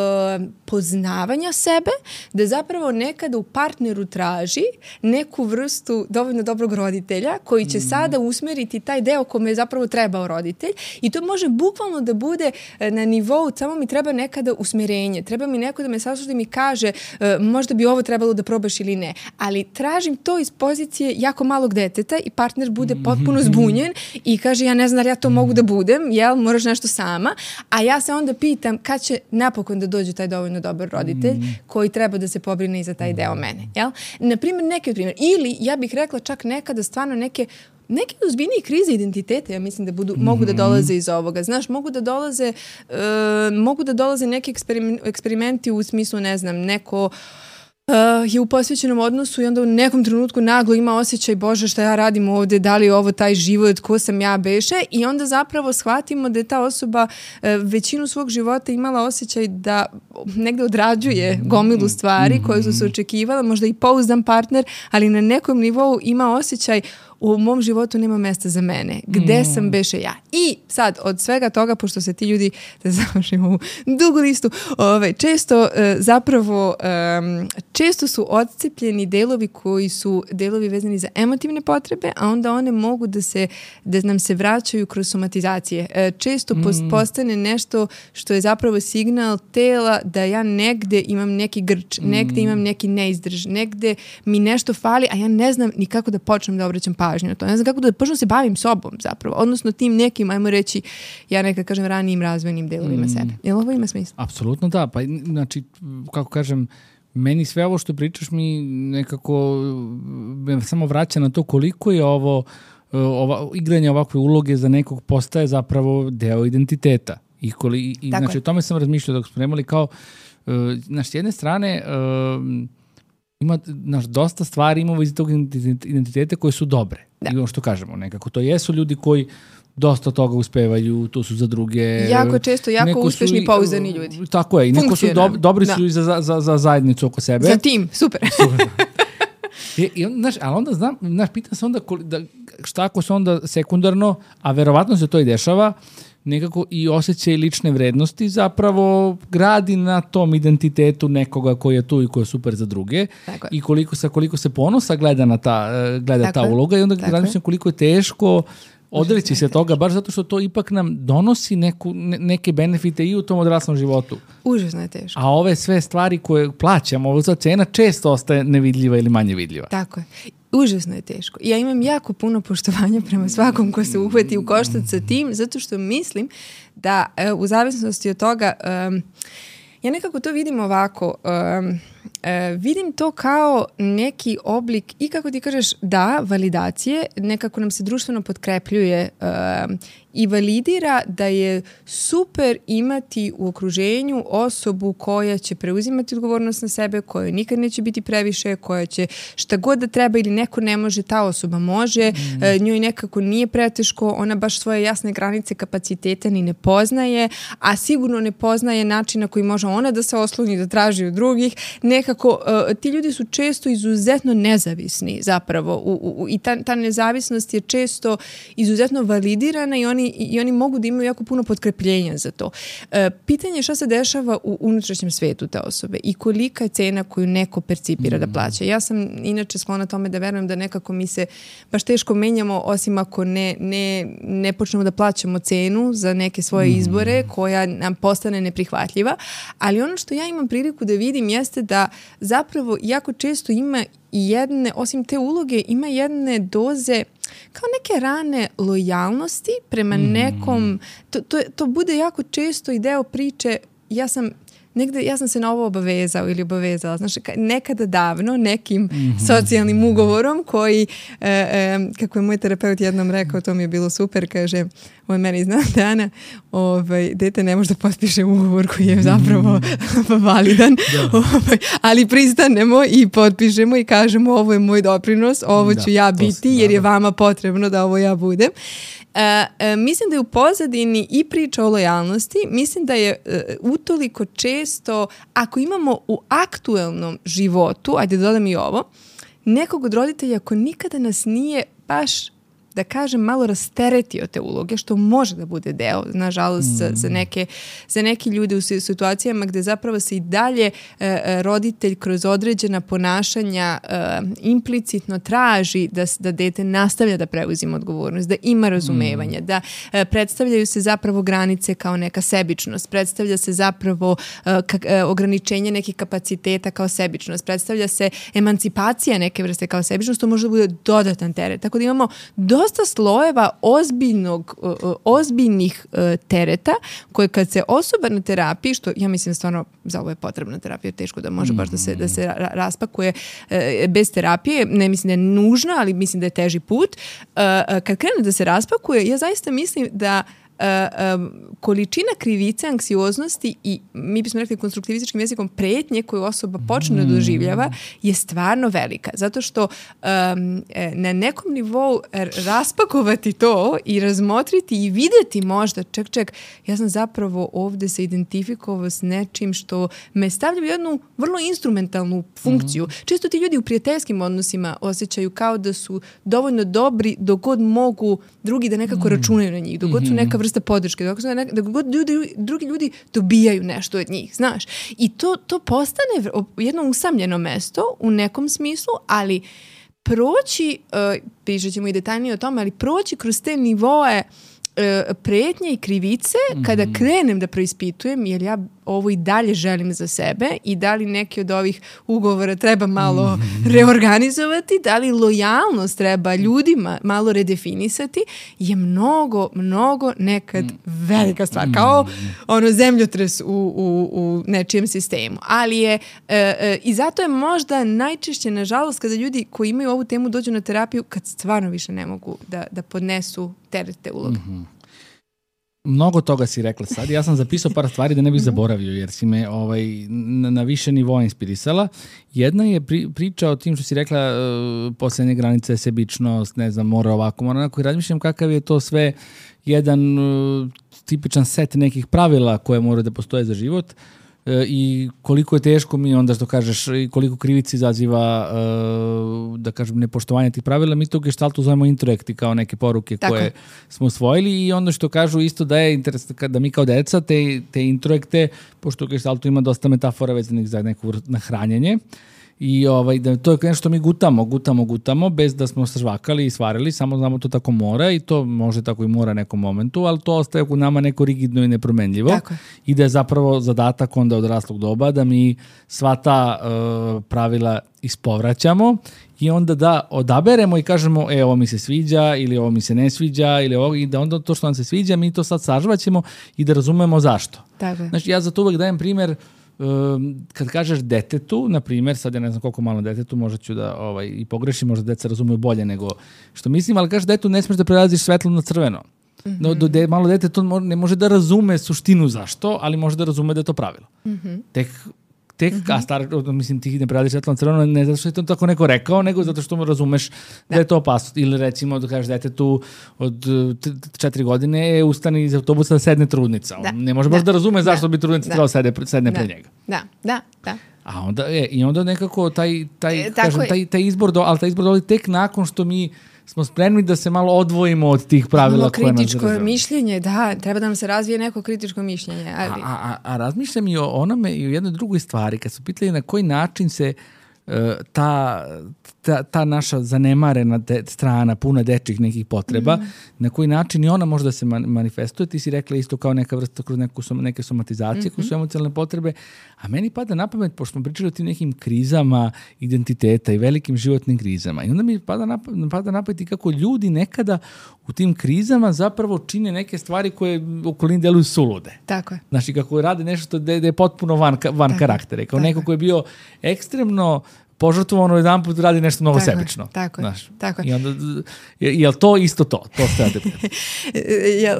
poznavanja sebe, da zapravo nekada u partneru traži neku vrstu dovoljno dobrog roditelja koji će mm. sada usmeriti taj deo kome je zapravo trebao roditelj i to može bukvalno da bude na nivou, samo mi treba nekada usmerenje, treba mi neko da me sasluša i mi kaže uh, možda bi ovo trebalo da probaš ili ne, ali tražim to iz pozicije jako malog deteta i partner bude potpuno puno zbunjen i kaže ja ne znam da ja to mogu da budem, jel, moraš nešto sama, a ja se onda pitam kad će napokon da dođe taj dovoljno dobar roditelj koji treba da se pobrine i za taj deo mene, jel? Naprimjer, neki od primjer. Ili, ja bih rekla čak nekada stvarno neke neke ozbiljnije krize identiteta, ja mislim da budu, mm-hmm. mogu da dolaze iz ovoga. Znaš, mogu da dolaze uh, mogu da dolaze neki eksperimenti u smislu, ne znam, neko Uh, je u posvećenom odnosu i onda u nekom trenutku naglo ima osjećaj Bože šta ja radim ovde, da li je ovo taj život, ko sam ja beše i onda zapravo shvatimo da je ta osoba uh, većinu svog života imala osjećaj da negde odrađuje gomilu stvari koje su se očekivala, možda i pouzdan partner, ali na nekom nivou ima osjećaj u mom životu nema mesta za mene. Gde mm. sam beše ja? I sad, od svega toga, pošto se ti ljudi, da završimo ovu dugu listu, ovaj, često uh, zapravo um, često su odcepljeni delovi koji su delovi vezani za emotivne potrebe, a onda one mogu da se, da nam se vraćaju kroz somatizacije. Uh, često mm. post, postane nešto što je zapravo signal tela da ja negde imam neki grč, mm. negde imam neki neizdrž, negde mi nešto fali, a ja ne znam ni kako da počnem da obraćam pažnju pažnju na to. Ne znam kako da počnem se bavim sobom zapravo. Odnosno tim nekim, ajmo reći, ja nekad kažem ranijim razvojnim delovima mm. sebe. Jel ovo ima smisla? Apsolutno da. Pa znači, kako kažem, meni sve ovo što pričaš mi nekako me samo vraća na to koliko je ovo ova, igranje ovakve uloge za nekog postaje zapravo deo identiteta. I, koli, i znači je. O tome sam razmišljao dok smo nemali kao uh, znaš, s jedne strane uh, ima naš, dosta stvari imamo iz tog identiteta koje su dobre. Da. I ono što kažemo, nekako to jesu ljudi koji dosta toga uspevaju, to su za druge. Jako često, jako uspešni i pouzdani ljudi. Tako je, i neko su do, dobri da. su i za, za, za zajednicu oko sebe. Za tim, super. super. I, i on, znaš, ali onda znam, znaš, pitan se onda koli, da, šta ako se onda sekundarno, a verovatno se to i dešava, nekako i osjećaj lične vrednosti zapravo gradi na tom identitetu nekoga koji je tu i koji je super za druge. Tako i koliko, sa koliko se ponosa gleda na ta, gleda ta uloga i onda razmišljam koliko je teško odreći se toga, baš zato što to ipak nam donosi neku, ne, neke benefite i u tom odraslom životu. Užasno je teško. A ove sve stvari koje plaćamo, ovo za cena često ostaje nevidljiva ili manje vidljiva. Tako je. Užasno je teško. Ja imam jako puno poštovanja prema svakom ko se uhvati u koštac sa tim, zato što mislim da u zavisnosti od toga, um, ja nekako to vidim ovako, um, Uh, vidim to kao neki oblik i kako ti kažeš da, validacije, nekako nam se društveno potkrepljuje uh, i validira da je super imati u okruženju osobu koja će preuzimati odgovornost na sebe, koja nikad neće biti previše, koja će šta god da treba ili neko ne može, ta osoba može, mm. uh, njoj nekako nije preteško, ona baš svoje jasne granice kapaciteta ni ne poznaje, a sigurno ne poznaje način na koji može ona da se osloni, da traži od drugih. Nekako, uh, ti ljudi su često izuzetno nezavisni zapravo u, u, u, i ta, ta nezavisnost je često izuzetno validirana i oni, i oni mogu da imaju jako puno potkrepljenja za to. Uh, pitanje je šta se dešava u unutrašnjem svetu te osobe i kolika je cena koju neko percipira mm. da plaća. Ja sam inače sklona tome da verujem da nekako mi se baš teško menjamo osim ako ne, ne, ne počnemo da plaćamo cenu za neke svoje mm. izbore koja nam postane neprihvatljiva, ali ono što ja imam priliku da vidim jeste da zapravo jako često ima i jedne, osim te uloge, ima jedne doze kao neke rane lojalnosti prema mm. nekom, to, to, to bude jako često i deo priče, ja sam negde, ja sam se na ovo obavezao ili obavezala, znaš, nekada davno nekim mm-hmm. socijalnim ugovorom koji, e, e, kako je moj terapeut jednom rekao, to mi je bilo super, kaže, ovo je meni zna dana, ovaj, dete ne može da potpiše ugovor koji je zapravo mm-hmm. validan, ovaj, ali pristanemo i potpišemo i kažemo ovo je moj doprinos, ovo ću da, ja biti jer je vama potrebno da ovo ja budem. Uh, uh, mislim da je u pozadini i priča o lojalnosti, mislim da je uh, utoliko često, ako imamo u aktuelnom životu, ajde dodam i ovo, nekog od roditelja ko nikada nas nije baš, da kažem, malo rasteretio te uloge, što može da bude deo, nažalost, mm. za, za, neke, za neki ljude u situacijama gde zapravo se i dalje e, roditelj kroz određena ponašanja e, implicitno traži da, da dete nastavlja da preuzima odgovornost, da ima razumevanja, mm. da e, predstavljaju se zapravo granice kao neka sebičnost, predstavlja se zapravo e, ka, e, ograničenje nekih kapaciteta kao sebičnost, predstavlja se emancipacija neke vrste kao sebičnost, to može da bude dodatan teret. Tako da imamo dosta slojeva ozbiljnog, ozbiljnih tereta koje kad se osoba na terapiji, što ja mislim stvarno za ovo je potrebna terapija, teško da može baš da se, da se raspakuje bez terapije, ne mislim da je nužno, ali mislim da je teži put. Kad krene da se raspakuje, ja zaista mislim da Uh, um, količina krivice, anksioznosti i mi bismo rekli konstruktivističkim jezikom pretnje koju osoba počne da doživljava je stvarno velika. Zato što um, na nekom nivou raspakovati to i razmotriti i videti možda, ček, ček, ja sam zapravo ovde se identifikovao s nečim što me stavlja u jednu vrlo instrumentalnu funkciju. Mm-hmm. Često ti ljudi u prijateljskim odnosima osjećaju kao da su dovoljno dobri dok god mogu drugi da nekako mm-hmm. računaju na njih, dok god su neka vrsta podrške, dok god ljudi, drugi ljudi dobijaju nešto od njih, znaš. I to, to postane jedno usamljeno mesto u nekom smislu, ali proći, uh, pričat ćemo i detaljnije o tome, ali proći kroz te nivoe pretnje i krivice kada mm-hmm. krenem da preispitujem jer ja ovo i dalje želim za sebe i da li neki od ovih ugovora treba malo mm-hmm. reorganizovati, da li lojalnost treba ljudima malo redefinisati, je mnogo, mnogo nekad velika stvar. Kao ono zemljotres u, u, u nečijem sistemu. Ali je, e, e, i zato je možda najčešće, nažalost, kada ljudi koji imaju ovu temu dođu na terapiju, kad stvarno više ne mogu da, da podnesu terete uloga. Mm-hmm. Mnogo toga si rekla sad. Ja sam zapisao par stvari da ne bih zaboravio, jer si me ovaj, na, na više nivoa inspirisala. Jedna je pri, priča o tim što si rekla uh, poslednje granice, sebičnost, ne znam, mora ovako, mora onako. I razmišljam kakav je to sve jedan uh, tipičan set nekih pravila koje mora da postoje za život. I koliko je teško mi onda što kažeš i koliko krivici izaziva da kažem nepoštovanje tih pravila, mi to u gestaltu zovemo introjekti kao neke poruke Tako. koje smo usvojili i ono što kažu isto da je interes da mi kao deca te, te introjekte, pošto u gestaltu ima dosta metafora vezanih za neko hranjenje, i ovaj, da to je nešto što mi gutamo, gutamo, gutamo, bez da smo se žvakali i svarili, samo znamo to tako mora i to može tako i mora nekom momentu, ali to ostaje u nama neko rigidno i nepromenljivo. Tako. I da je zapravo zadatak onda od raslog doba da mi sva ta uh, pravila ispovraćamo i onda da odaberemo i kažemo e, ovo mi se sviđa ili ovo mi se ne sviđa ili ovo, i da onda to što nam se sviđa mi to sad sažvaćemo i da razumemo zašto. Tako. Znači ja za to uvek dajem primer. Kad kažeš detetu, na primjer, sad ja ne znam koliko malo detetu, možda ću da ovaj, i pogrešim, možda deca razumeju bolje nego što mislim, ali kažeš detetu ne smeš da prelaziš svetlo na crveno. Mm-hmm. No, do de, malo dete to ne može da razume suštinu zašto, ali može da razume da je to pravilo. Mm-hmm. Tek Tek, mm-hmm. a star, mislim, ti ne preladiš svetlo na crveno, ne zato što je to tako neko rekao, nego zato što mu razumeš da, da je to opasno. Ili recimo da kažeš detetu od četiri godine ustani iz autobusa da sedne trudnica. Da. On ne može baš da, da razume zašto da. bi trudnica da. trebala sedne, sedne da. pre njega. Da, da, da. A onda, e, i onda nekako taj, taj, e, kažem, taj, taj izbor, do, ali taj izbor dolazi tek nakon što mi smo spremni da se malo odvojimo od tih pravila koje nas kritičko mišljenje, da, treba da nam se razvije neko kritičko mišljenje. Ali... A, a, a razmišljam i o onome i o jednoj drugoj stvari, kad su pitali na koji način se uh, ta, ta, ta naša zanemarena de, strana, puna dečjih nekih potreba, mm. na koji način i ona može da se man, manifestuje. Ti si rekla isto kao neka vrsta kroz neku, neke somatizacije, mm-hmm. kroz su emocionalne potrebe, a meni pada na pamet, pošto smo pričali o tim nekim krizama identiteta i velikim životnim krizama. I onda mi pada na, pada na pamet i kako ljudi nekada u tim krizama zapravo čine neke stvari koje u okolini deluju sulude. Tako je. Znači, kako rade nešto da je potpuno van, van karaktera. Kao neko ko je bio ekstremno požrtvovano jedan put radi nešto mnogo tako sebično. Je, tako, znaš. tako je. I onda, je, je li to isto to? To ste rade. ja,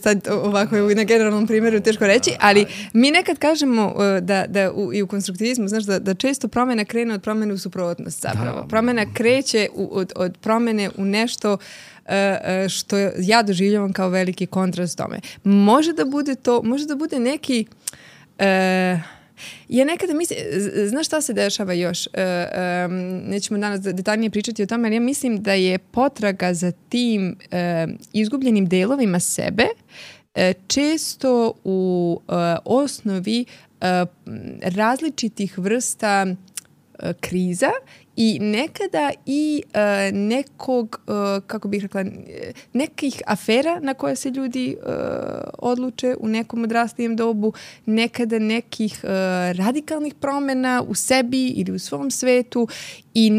sad ovako je na generalnom primjeru teško reći, ali mi nekad kažemo da, da u, i u konstruktivizmu, znaš, da, da često promjena krene od promjene u suprotnost zapravo. Da. Promjena kreće u, od, od promjene u nešto što ja doživljavam kao veliki kontrast tome. Može da bude to, može da bude neki... Uh, Ja nekada mislim, znaš šta se dešava još? E, e, nećemo danas detaljnije pričati o tome, ali ja mislim da je potraga za tim e, izgubljenim delovima sebe e, često u e, osnovi e, različitih vrsta e, kriza i nekada i uh, nekog, uh, kako bih rekla, nekih afera na koje se ljudi uh, odluče u nekom odraslijem dobu, nekada nekih uh, radikalnih promjena u sebi ili u svom svetu i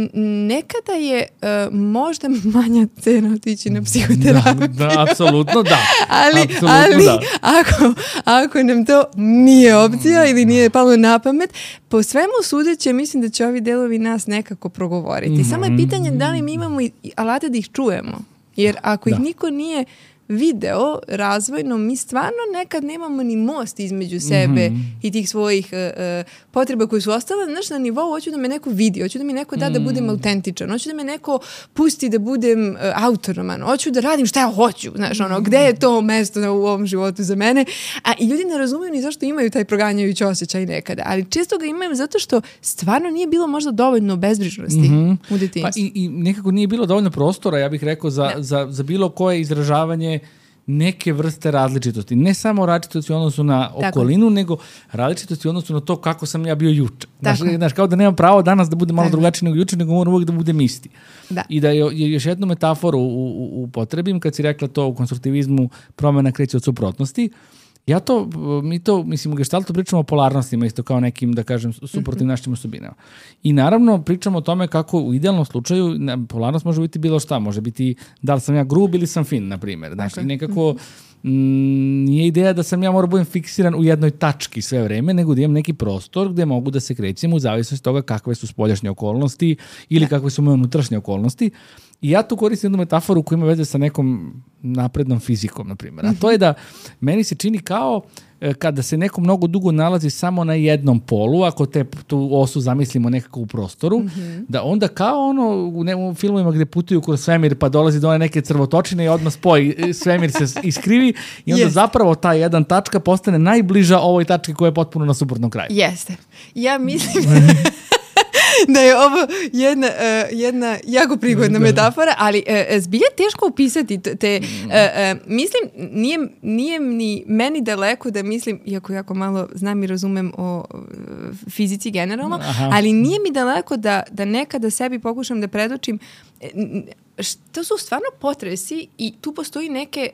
nekada je uh, možda manja cena otići na psihoterapiju. Da, da, apsolutno da. ali apsolutno ali da. Ako, ako nam to nije opcija ili nije palo na pamet, po svemu sudeće mislim da će ovi delovi nas nekako progovoriti. Mm-hmm. Samo je pitanje da li mi imamo i alate da ih čujemo. Jer ako da. ih niko nije video razvojno, mi stvarno nekad nemamo ni most između sebe mm-hmm. i tih svojih uh, potreba koje su ostale. Znaš, na nivou hoću da me neko vidi, hoću da mi neko da mm. da budem autentičan, hoću da me neko pusti da budem uh, autonoman, hoću da radim šta ja hoću, znaš, ono, gde je to mesto u ovom životu za mene. A i ljudi ne razumiju ni zašto imaju taj proganjajući osjećaj nekada, ali često ga imaju zato što stvarno nije bilo možda dovoljno bezbrižnosti mm-hmm. u detinjstvu. Pa i, i nekako nije bilo dovoljno prostora, ja bih rekao, za, za, za bilo koje izražavanje neke vrste različitosti. Ne samo različitosti u odnosu na okolinu, tako, nego različitosti u odnosu na to kako sam ja bio juče. Znaš, znaš, kao da nemam pravo danas da bude malo tako drugačiji nego juče, nego moram uvijek da budem isti. Da. I da je, je još jednu metaforu upotrebim, kad si rekla to u konstruktivizmu promena kreće od suprotnosti. Ja to, mi to, mislim, u gestaltu pričamo o polarnostima, isto kao nekim, da kažem, suprotnim našim osobinama. I naravno pričamo o tome kako u idealnom slučaju polarnost može biti bilo šta, može biti da li sam ja grub ili sam fin, na primjer. Znači, okay. nekako mm, nije ideja da sam ja mora budem fiksiran u jednoj tački sve vreme, nego da imam neki prostor gde mogu da se krećem u zavisnosti toga kakve su spoljašnje okolnosti ili kakve su moje unutrašnje okolnosti. I ja tu koristim jednu metaforu koja ima veze sa nekom naprednom fizikom, na primjer. A to je da meni se čini kao kada se neko mnogo dugo nalazi samo na jednom polu, ako te tu osu zamislimo nekako u prostoru, mm-hmm. da onda kao ono u, ne, u filmovima gde putuju kroz svemir pa dolazi do one neke crvotočine i odmah spoji, svemir se iskrivi i onda Jeste. zapravo ta jedan tačka postane najbliža ovoj tački koja je potpuno na suprotnom kraju. Jeste. Ja mislim... da je ovo jedna, uh, jedna jako prigodna metafora, ali uh, zbilja teško upisati te, uh, uh, mislim, nije, nije ni meni daleko da mislim, iako jako malo znam i razumem o uh, fizici generalno, Aha. ali nije mi daleko da, da nekada sebi pokušam da predočim što su stvarno potresi i tu postoji neke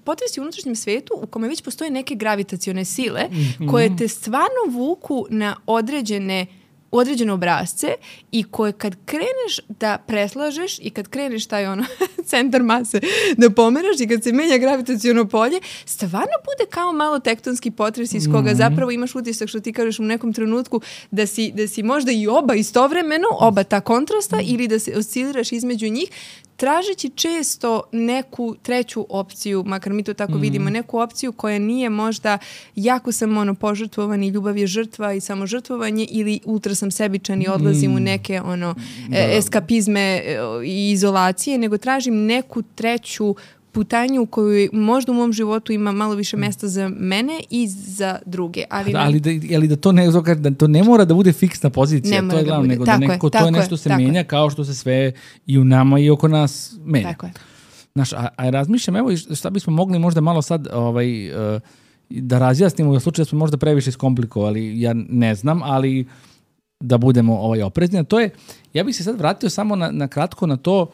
potresi u unutrašnjem svetu u kome već postoje neke gravitacione sile mm-hmm. koje te stvarno vuku na određene određene obrazce i koje kad kreneš da preslažeš i kad kreneš taj ono centar mase da pomeraš i kad se menja gravitaciono polje, stvarno bude kao malo tektonski potres iz koga mm-hmm. zapravo imaš utisak što ti kažeš u nekom trenutku da si, da si možda i oba istovremeno, oba ta kontrasta mm-hmm. ili da se osciliraš između njih, tražeći često neku treću opciju, makar mi to tako mm. vidimo, neku opciju koja nije možda jako sam ono požrtvovan i ljubav je žrtva i samo žrtvovanje ili ultra sam sebičan i odlazim mm. u neke ono da. eskapizme i izolacije, nego tražim neku treću putanju u kojoj možda u mom životu ima malo više mesta za mene i za druge. Ali, da, ali, da, ali da, to ne, da to ne mora da bude fiksna pozicija, ne to je glavno, da nego da neko, to je nešto se menja je. Kao što se sve i u nama i oko nas menja. Tako je. Znaš, a, a razmišljam, evo šta bismo mogli možda malo sad ovaj, uh, da razjasnimo u slučaju da smo možda previše iskomplikovali, ja ne znam, ali da budemo ovaj, oprezni. To je, ja bih se sad vratio samo na, na kratko na to.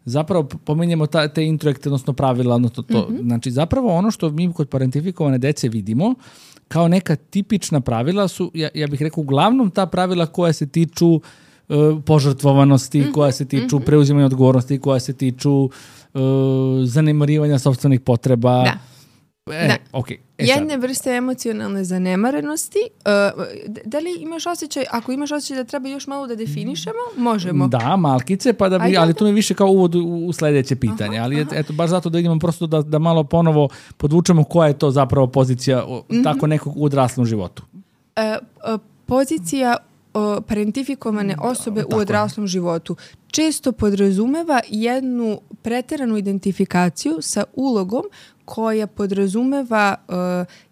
Zapravo pominjemo ta, te introjekte, odnosno pravila, odnosno to. Mm-hmm. Znači, zapravo ono što mi kod parentifikovane dece vidimo kao neka tipična pravila su, ja, ja bih rekao, uglavnom ta pravila koja se tiču uh, požrtvovanosti, mm-hmm. koja se tiču mm-hmm. preuzimanja odgovornosti, koja se tiču uh, zanemarivanja sopstvenih potreba. Da. E, da. Okay. E, Jedne sad. vrste emocionalne zanemarenosti. Uh, da li imaš osjećaj, ako imaš osjećaj da treba još malo da definišemo, možemo. Da, malkice, pa da bi, ali to mi je više kao uvod u, u sledeće pitanje. Aha, ali aha. eto, baš zato da idemo prosto da, da malo ponovo podvučemo koja je to zapravo pozicija mm-hmm. tako nekog u odraslom životu. Uh, uh, pozicija uh, parentifikovane osobe tako u odraslom je. životu često podrazumeva jednu preteranu identifikaciju sa ulogom koja podrazumeva uh,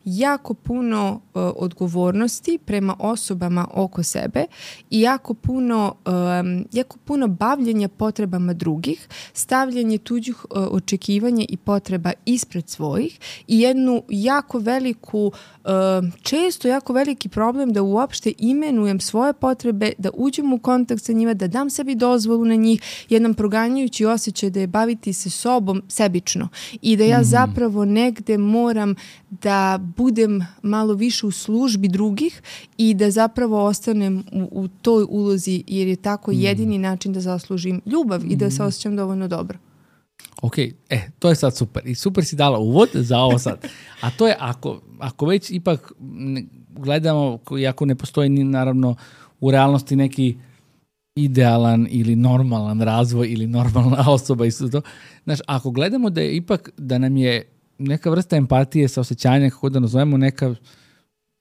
jako puno uh, odgovornosti prema osobama oko sebe i jako puno, um, jako puno bavljenja potrebama drugih, stavljanje tuđih uh, očekivanja i potreba ispred svojih i jednu jako veliku, uh, često jako veliki problem da uopšte imenujem svoje potrebe, da uđem u kontakt sa njima, da dam sebi dozvolu na njih, jedan proganjajući osjećaj da je baviti se sobom sebično i da ja mm-hmm. zapravo negde moram da budem malo više u službi drugih i da zapravo ostanem u, u toj ulozi jer je tako mm. jedini način da zaslužim ljubav mm. i da se osjećam dovoljno dobro. Ok, e, to je sad super. I super si dala uvod za ovo sad. A to je ako, ako već ipak gledamo, iako ne postoji ni naravno u realnosti neki idealan ili normalan razvoj ili normalna osoba i sve to. Znaš, ako gledamo da je ipak, da nam je neka vrsta empatije sa osjećanjem, kako da nazovemo, neka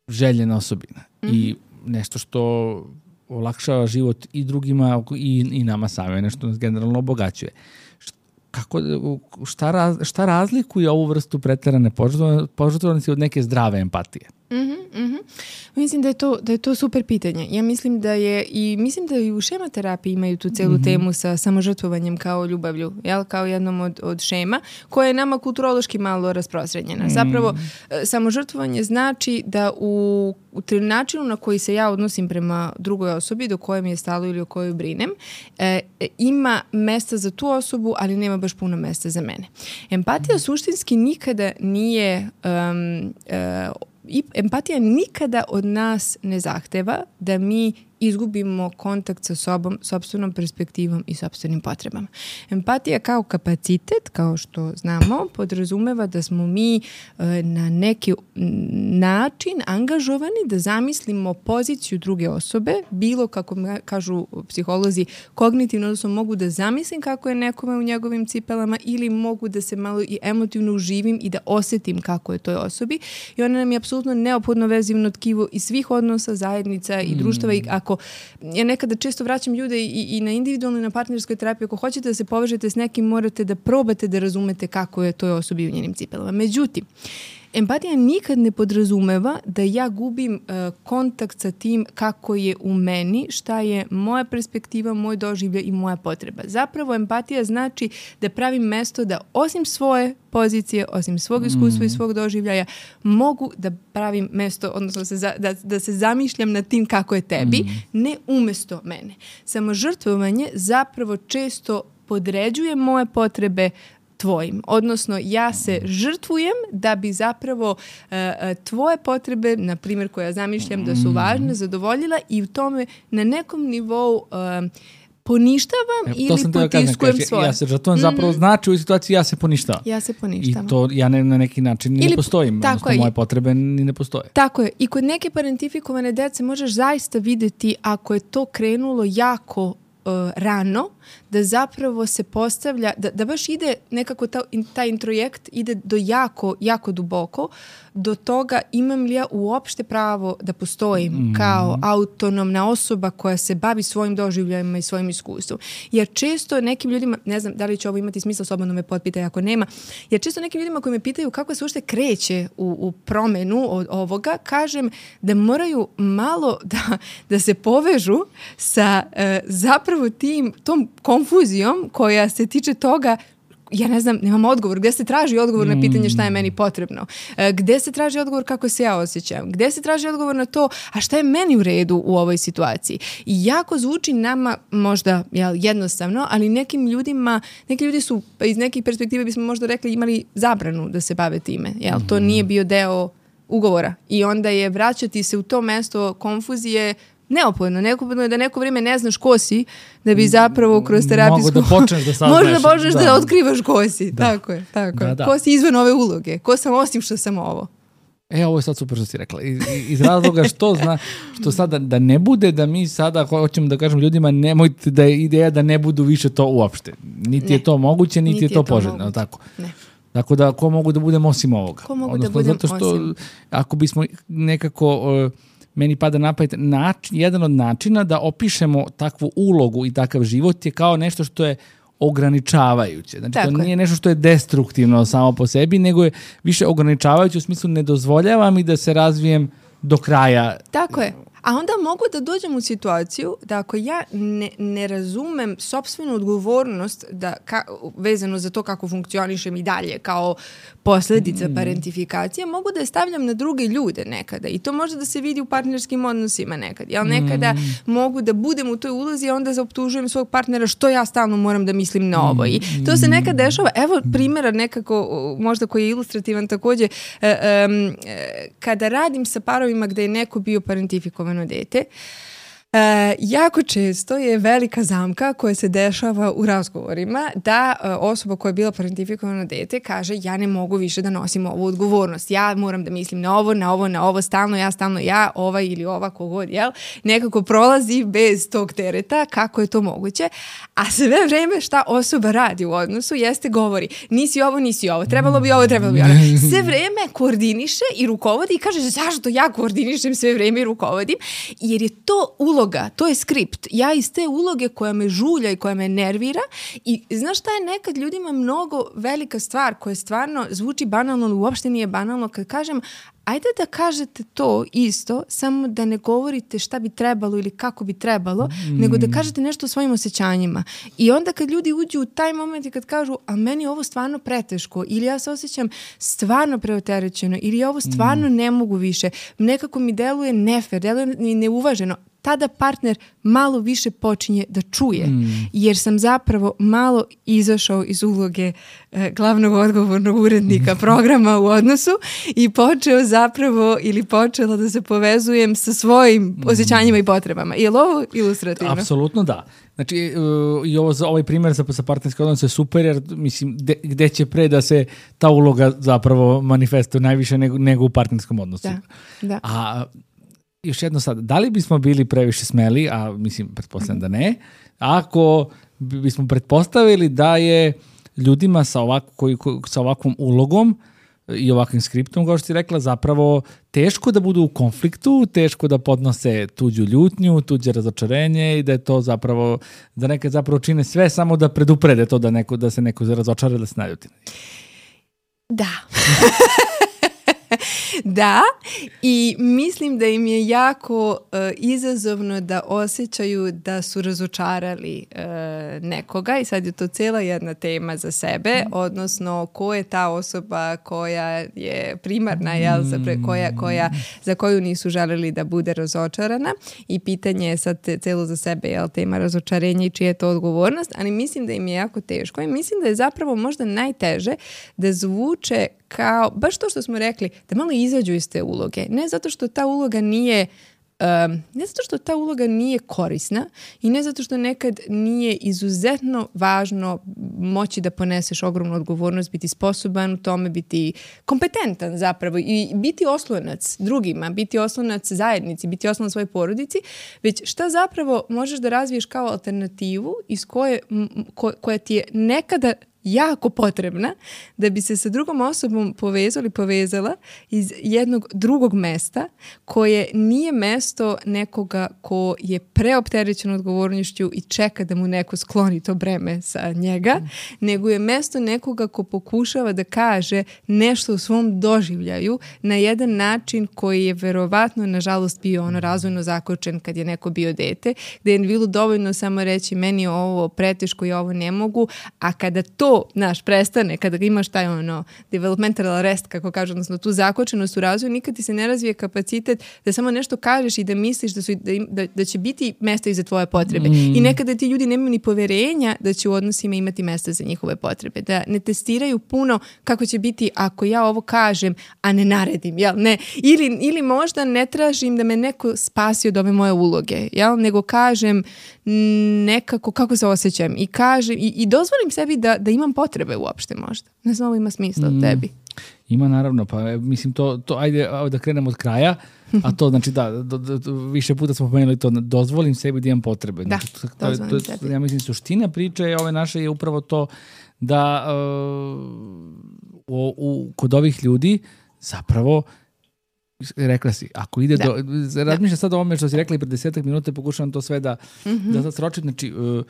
željena osobina mm-hmm. i nešto što olakšava život i drugima i, i nama same, nešto nas generalno obogaćuje. Kako, šta, raz, šta razlikuje ovu vrstu preterane požrtvovanosti od neke zdrave empatije? Mm-hmm, mm-hmm. Mislim da je, to, da je to super pitanje. Ja mislim da je, i mislim da i u šema terapiji imaju tu celu mm-hmm. temu sa samožrtvovanjem kao ljubavlju, jel? Kao jednom od, od šema, koja je nama kulturološki malo rasprostranjena. Mm. Zapravo, samožrtvovanje znači da u, u načinu na koji se ja odnosim prema drugoj osobi, do koje mi je stalo ili o kojoj brinem, e, ima mesta za tu osobu, ali nema baš puno mesta za mene. Empatija mm. suštinski nikada nije um, uh, I empatija nikada od nas ne zahteva da mi izgubimo kontakt sa sobom, sopstvenom perspektivom i sopstvenim potrebama. Empatija kao kapacitet, kao što znamo, podrazumeva da smo mi e, na neki način angažovani da zamislimo poziciju druge osobe, bilo kako kažu psiholozi kognitivno, odnosno mogu da zamislim kako je nekome u njegovim cipelama ili mogu da se malo i emotivno uživim i da osetim kako je toj osobi. I ona nam je apsolutno neophodno vezivno tkivo i svih odnosa, zajednica i društava. I ako ja nekada često vraćam ljude i, i na individualnoj i na partnerskoj terapiji, ako hoćete da se povežete s nekim, morate da probate da razumete kako je toj osobi u njenim cipelama. Međutim, empatija nikad ne podrazumeva da ja gubim uh, kontakt sa tim kako je u meni, šta je moja perspektiva, moj doživljaj i moja potreba. Zapravo empatija znači da pravim mesto da osim svoje pozicije, osim svog iskustva mm. i svog doživljaja, mogu da pravim mesto, odnosno se za, da, da se zamišljam nad tim kako je tebi, mm. ne umesto mene. Samožrtvovanje zapravo često podređuje moje potrebe tvojim. Odnosno, ja se žrtvujem da bi zapravo uh, tvoje potrebe, na primjer, koje ja zamišljam da su važne, zadovoljila i u tome na nekom nivou uh, poništavam e, ili potiskujem kažem, svoje. Ja se žrtvujem mm-hmm. zapravo znači u situaciji ja se poništavam. Ja se poništavam. I to ja ne, na neki način ili, ne postojim. Odnosno, moje potrebe ni ne postoje. Tako je. I kod neke parentifikovane dece možeš zaista vidjeti ako je to krenulo jako uh, rano, da zapravo se postavlja, da, da baš ide nekako ta, taj introjekt ide do jako, jako duboko, do toga imam li ja uopšte pravo da postojim mm. kao autonomna osoba koja se bavi svojim doživljajima i svojim iskustvom. Jer često nekim ljudima, ne znam da li će ovo imati smisla, slobodno me potpitaj ako nema, jer često nekim ljudima koji me pitaju kako se uopšte kreće u, u promenu od ovoga, kažem da moraju malo da, da se povežu sa uh, zapravo tim, tom konfuzijom koja se tiče toga, ja ne znam, nemam odgovor, gde se traži odgovor na pitanje šta je meni potrebno, e, gde se traži odgovor kako se ja osjećam, gde se traži odgovor na to, a šta je meni u redu u ovoj situaciji. I jako zvuči nama možda jel, jednostavno, ali nekim ljudima, neki ljudi su iz nekih perspektive bismo možda rekli imali zabranu da se bave time, jel, to nije bio deo ugovora i onda je vraćati se u to mesto konfuzije neophodno. Neophodno je da neko vrijeme ne znaš ko si, da bi zapravo kroz terapijsku... Mogu da počneš da saznaš. Možda počneš da, da otkrivaš ko si. Da. Tako je, tako da, je. Da. Ko si izvan ove uloge. Ko sam osim što sam ovo. E, ovo je sad super što si rekla. Iz, iz razloga što zna, što sada da ne bude da mi sada hoćemo da kažem ljudima nemojte da je ideja da ne budu više to uopšte. Niti ne. je to moguće, niti, niti je to, je to poželjno. Tako. Ne. Tako da ko mogu da budemo osim ovoga. Ko mogu Odnosno, da budem zato što osim. Ako bismo nekako... Uh, meni pada na pamet, način, jedan od načina da opišemo takvu ulogu i takav život je kao nešto što je ograničavajuće. Znači, tako to je. nije nešto što je destruktivno samo po sebi, nego je više ograničavajuće u smislu ne dozvoljavam i da se razvijem do kraja. Tako je. A onda mogu da dođem u situaciju da ako ja ne, ne razumem sopstvenu odgovornost da ka, vezano za to kako funkcionišem i dalje kao posljedica mm. parentifikacije, mogu da je stavljam na druge ljude nekada. I to može da se vidi u partnerskim odnosima nekad. Ja nekada mm. mogu da budem u toj ulozi i onda zaoptužujem svog partnera što ja stalno moram da mislim na ovo. I to se nekad dešava. Evo primjera nekako, možda koji je ilustrativan također. E, um, kada radim sa parovima gde je neko bio parentifikovan dete, E, jako često je velika zamka koja se dešava u razgovorima da e, osoba koja je bila parentifikovano dete kaže ja ne mogu više da nosim ovu odgovornost, ja moram da mislim na ovo, na ovo, na ovo, stalno ja, stalno ja, ova ili ova kogod, jel? Nekako prolazi bez tog tereta, kako je to moguće, a sve vreme šta osoba radi u odnosu jeste govori nisi ovo, nisi ovo, trebalo bi ovo, trebalo bi ono. Sve vreme koordiniše i rukovodi i kaže zašto ja koordinišem sve vreme i rukovodim, jer je to uloga uloga, to je skript. Ja iz te uloge koja me žulja i koja me nervira i znaš šta je nekad ljudima mnogo velika stvar koja stvarno zvuči banalno, ali uopšte nije banalno kad kažem ajde da kažete to isto, samo da ne govorite šta bi trebalo ili kako bi trebalo, mm. nego da kažete nešto o svojim osjećanjima. I onda kad ljudi uđu u taj moment i kad kažu, a meni je ovo stvarno preteško, ili ja se osjećam stvarno preopterećeno, ili ja ovo stvarno mm. ne mogu više, nekako mi deluje nefer, deluje mi neuvaženo, tada partner malo više počinje da čuje, mm. jer sam zapravo malo izašao iz uloge e, glavnog odgovornog urednika programa u odnosu i počeo zapravo ili počela da se povezujem sa svojim mm. osjećanjima i potrebama. Je li ovo ilustrativno? Apsolutno da. Znači, uh, i ovo, ovaj primjer sa, sa partnerskim odnosom je super, jer mislim, de, gde će pre da se ta uloga zapravo manifestuje najviše nego, nego u partnerskom odnosu. Da, da. A još jedno sad, da li bismo bili previše smeli, a mislim, pretpostavljam da ne, ako bismo pretpostavili da je ljudima sa, ovako, koji, sa ovakvom ulogom i ovakvim skriptom, kao što si rekla, zapravo teško da budu u konfliktu, teško da podnose tuđu ljutnju, tuđe razočarenje i da je to zapravo, da neke zapravo čine sve samo da preduprede to da, neko, da se neko razočara, da se naljuti. Da. Da, i mislim da im je jako uh, izazovno da osjećaju da su razočarali uh, nekoga i sad je to cijela jedna tema za sebe, odnosno ko je ta osoba koja je primarna, jel, za, pre, koja, koja, za koju nisu želeli da bude razočarana i pitanje je sad cijelo za sebe, jel, tema razočarenja i čija je to odgovornost, ali mislim da im je jako teško i mislim da je zapravo možda najteže da zvuče kao, baš to što smo rekli, da malo izađu iz te uloge. Ne zato što ta uloga nije um, ne zato što ta uloga nije korisna i ne zato što nekad nije izuzetno važno moći da poneseš ogromnu odgovornost, biti sposoban u tome, biti kompetentan zapravo i biti oslonac drugima, biti oslonac zajednici, biti oslonac svojoj porodici, već šta zapravo možeš da razviješ kao alternativu iz koje, ko, koja ti je nekada jako potrebna da bi se sa drugom osobom povezala ili povezala iz jednog drugog mesta koje nije mesto nekoga ko je preopterećen odgovornošću i čeka da mu neko skloni to breme sa njega, mm. nego je mesto nekoga ko pokušava da kaže nešto u svom doživljaju na jedan način koji je verovatno, nažalost, bio ono razvojno zakočen kad je neko bio dete, gde je bilo dovoljno samo reći meni je ovo preteško i ovo ne mogu, a kada to naš prestane, kada imaš taj ono developmental arrest, kako kažu, odnosno tu zakočenost u razvoju, nikad ti se ne razvije kapacitet da samo nešto kažeš i da misliš da, su, da, da, da će biti mesta i za tvoje potrebe. Mm. I nekada ti ljudi nemaju ni poverenja da će u odnosima imati mesta za njihove potrebe. Da ne testiraju puno kako će biti ako ja ovo kažem, a ne naredim, jel? Ne. Ili, ili možda ne tražim da me neko spasi od ove moje uloge, jel? Nego kažem nekako kako se osjećam i kažem i, i dozvolim sebi da, da imam potrebe uopšte možda. Ne znam, ovo ima smisla mm. od tebi. Ima naravno, pa mislim to, to ajde da krenemo od kraja, a to znači da, do, do, do, više puta smo pomenuli to, dozvolim sebi da imam potrebe. Da, znači, to, to, to, ja mislim suština priče ove naše je upravo to da uh, u, u, kod ovih ljudi zapravo rekla si, ako ide da. do... Razmišljam sad o ovome što si rekla i pred desetak minuta pokušavam to sve da, mm-hmm. da sad sročim. Znači, uh,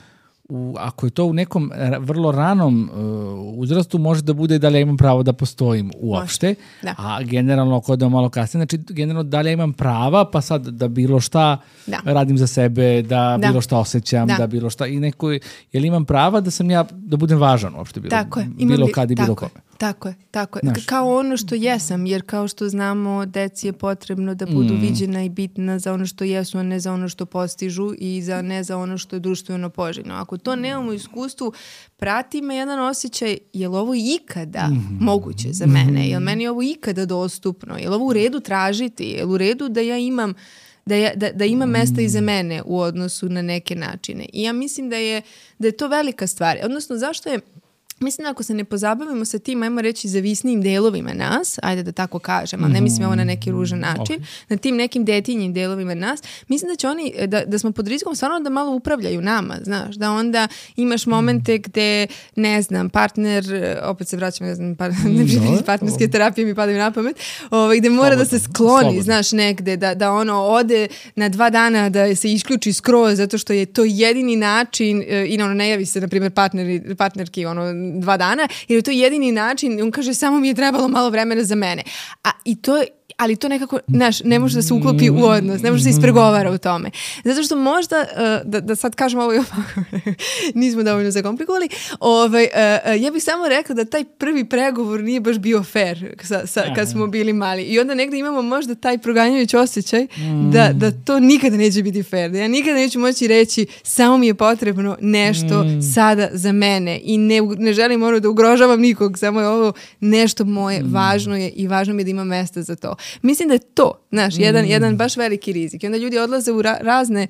u, ako je to u nekom vrlo ranom uh, uzrastu, može da bude da li ja imam pravo da postojim uopšte, da. A generalno ako da malo kasnije, znači generalno da li ja imam prava, pa sad da bilo šta da. radim za sebe, da, da. bilo šta osjećam, da. da bilo šta i neko, jel imam prava da sam ja, da budem važan uopšte bilo, tako je. bilo kad i bilo kome. Tako je, tako je. Znaš. Kao ono što jesam, jer kao što znamo, deci je potrebno da budu mm. viđena i bitna za ono što jesu, a ne za ono što postižu i za, ne za ono što je društveno poželjno. Ako to nemamo u iskustvu, prati me jedan osjećaj, je li ovo ikada mm. moguće za mene? Je li meni ovo ikada dostupno? Je li ovo u redu tražiti? Je li u redu da ja imam Da, ja, da, da ima mesta i za mene u odnosu na neke načine? I ja mislim da je, da je to velika stvar. Odnosno, zašto je mislim da ako se ne pozabavimo sa tim, ajmo reći, zavisnijim delovima nas, ajde da tako kažem, ali ne mislim ovo na neki ružan način, okay. na tim nekim detinjim delovima nas, mislim da će oni, da, da smo pod rizikom stvarno da malo upravljaju nama, znaš, da onda imaš momente gde, ne znam, partner, opet se vraćam, ne znam, par, no, partnerske terapije mi padaju na pamet, ovaj, gde mora slobodno, da se skloni, slobodno. Znaš, negde, da, da ono ode na dva dana da se isključi skroz, zato što je to jedini način i ono, ne javi se, na primjer, partner, partnerki, ono, dva dana, jer je to jedini način, on kaže samo mi je trebalo malo vremena za mene. A i to je, ali to nekako, znaš, ne može da se uklopi u odnos, ne može da se ispregovara u tome. Zato što možda, uh, da, da sad kažem ovo i ovako, nismo dovoljno zakomplikovali, ovaj, uh, ja bih samo rekla da taj prvi pregovor nije baš bio fair sa, sa, kad smo bili mali. I onda negdje imamo možda taj proganjajući osjećaj da, da to nikada neće biti fair. Da ja nikada neću moći reći samo mi je potrebno nešto mm. sada za mene i ne, ne želim ono da ugrožavam nikog, samo je ovo nešto moje, mm. važno je i važno mi je da ima mesta za to. Mislim da je to, znaš, mm. jedan, jedan baš veliki rizik. I onda ljudi odlaze u ra- razne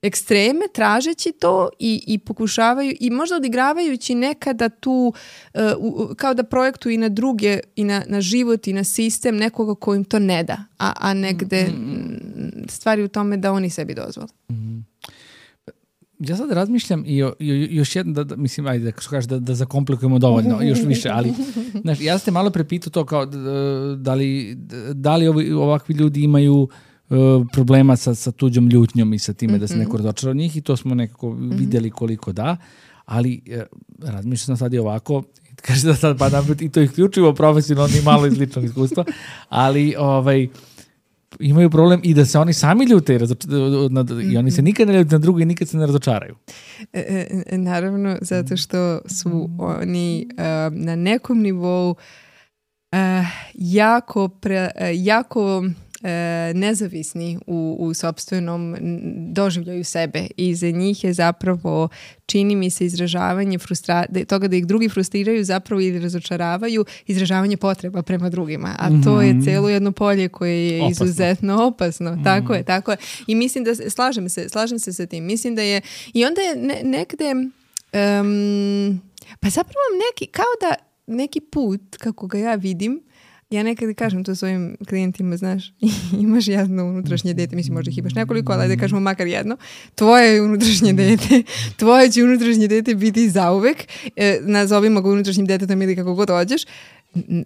ekstreme tražeći to i, i pokušavaju i možda odigravajući nekada tu uh, u, kao da projektuju i na druge i na, na život i na sistem nekoga ko im to ne da, a, a negde mm. stvari u tome da oni sebi dozvole. Mm. Ja sad razmišljam i o, i još jedno, da, da, mislim, ajde da kažeš da, da zakomplikujemo dovoljno, još više, ali znaš, ja ste malo prepitao to kao da li, da li ovi, ovakvi ljudi imaju uh, problema sa, sa tuđom ljutnjom i sa time mm-hmm. da se neko razočara od njih i to smo nekako mm-hmm. vidjeli koliko da, ali uh, razmišljam sam sad i ovako, kaže da sad pa napred i to isključivo profesionalno i malo iz ličnog iskustva, ali ovaj imaju problem i da se oni sami ljute i, razoč- i oni se nikad ne ljute na drugi i nikad se ne razočaraju. E, e, naravno, zato što su oni uh, na nekom nivou uh, jako, pre, uh, jako E, nezavisni u, u sopstvenom doživljaju sebe i za njih je zapravo, čini mi se, izražavanje frustra- toga da ih drugi frustriraju zapravo ili razočaravaju, izražavanje potreba prema drugima, a mm-hmm. to je celo jedno polje koje je opasno. Izuzetno opasno. Mm-hmm. Tako je, tako je. I mislim da, slažem se, slažem se sa tim. Mislim da je, i onda je ne, nekde um, pa zapravo neki, kao da neki put, kako ga ja vidim, ja nekada kažem to svojim klijentima, znaš, imaš jedno unutrašnje dete, mislim možda ih imaš nekoliko, ali da kažemo makar jedno, tvoje unutrašnje dete, tvoje će unutrašnje dete biti zauvek, e, nazovimo ga unutrašnjim detetom ili kako god hođeš,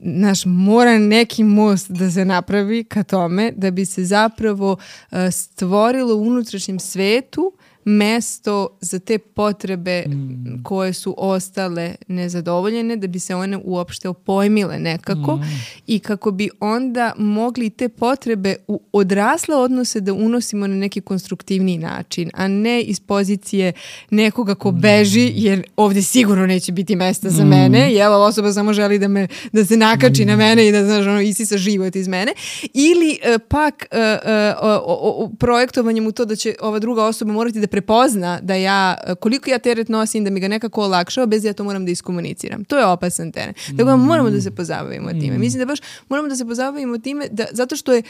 naš mora neki most da se napravi ka tome da bi se zapravo uh, stvorilo u unutrašnjem svetu mesto za te potrebe mm. koje su ostale nezadovoljene, da bi se one uopšte opojmile nekako mm. i kako bi onda mogli te potrebe u odrasle odnose da unosimo na neki konstruktivniji način, a ne iz pozicije nekoga ko beži, jer ovdje sigurno neće biti mesta za mm. mene, jel, osoba samo želi da, me, da se nakači mm. na mene i da, znaš, ono, isisa život iz mene, ili uh, pak uh, uh, uh, uh, projektovanjem u to da će ova druga osoba morati da prepozna da ja, koliko ja teret nosim, da mi ga nekako olakšao, bez da ja to moram da iskomuniciram. To je opasan teren. Mm. Tako da moramo da se pozabavimo mm. time. Mislim da baš moramo da se pozabavimo time, da, zato što je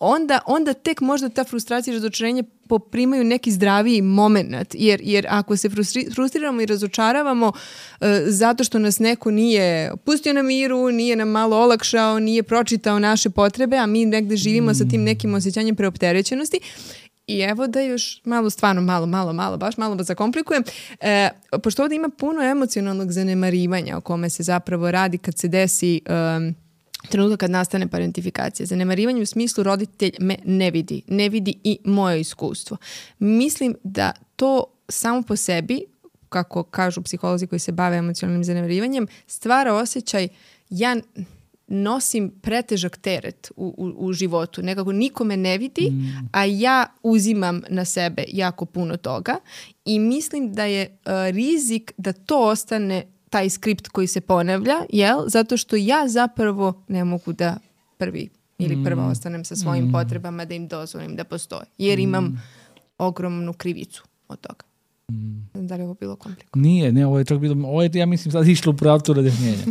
onda, onda tek možda ta frustracija i razočarenje poprimaju neki zdraviji moment, jer, jer ako se frustri, frustriramo i razočaravamo uh, zato što nas neko nije pustio na miru, nije nam malo olakšao, nije pročitao naše potrebe, a mi negde živimo mm. sa tim nekim osjećanjem preopterećenosti. I evo da još malo, stvarno malo, malo, malo, baš malo da zakomplikujem. E, pošto ovdje ima puno emocionalnog zanemarivanja o kome se zapravo radi kad se desi um, trenutak kad nastane parentifikacija. Zanemarivanje u smislu roditelj me ne vidi. Ne vidi i moje iskustvo. Mislim da to samo po sebi, kako kažu psiholozi koji se bave emocionalnim zanemarivanjem, stvara osjećaj ja nosim pretežak teret u, u, u životu. Nekako niko me ne vidi, mm. a ja uzimam na sebe jako puno toga i mislim da je uh, rizik da to ostane taj skript koji se ponavlja, jel? Zato što ja zapravo ne mogu da prvi ili prva mm. ostanem sa svojim mm. potrebama da im dozvolim da postoje. Jer imam mm. ogromnu krivicu od toga. Mm. Da li je ovo bilo komplikovano? Nije, ne, ovo je čak bilo, ovo je, ja mislim, sad išlo u pravcu razjašnjenja.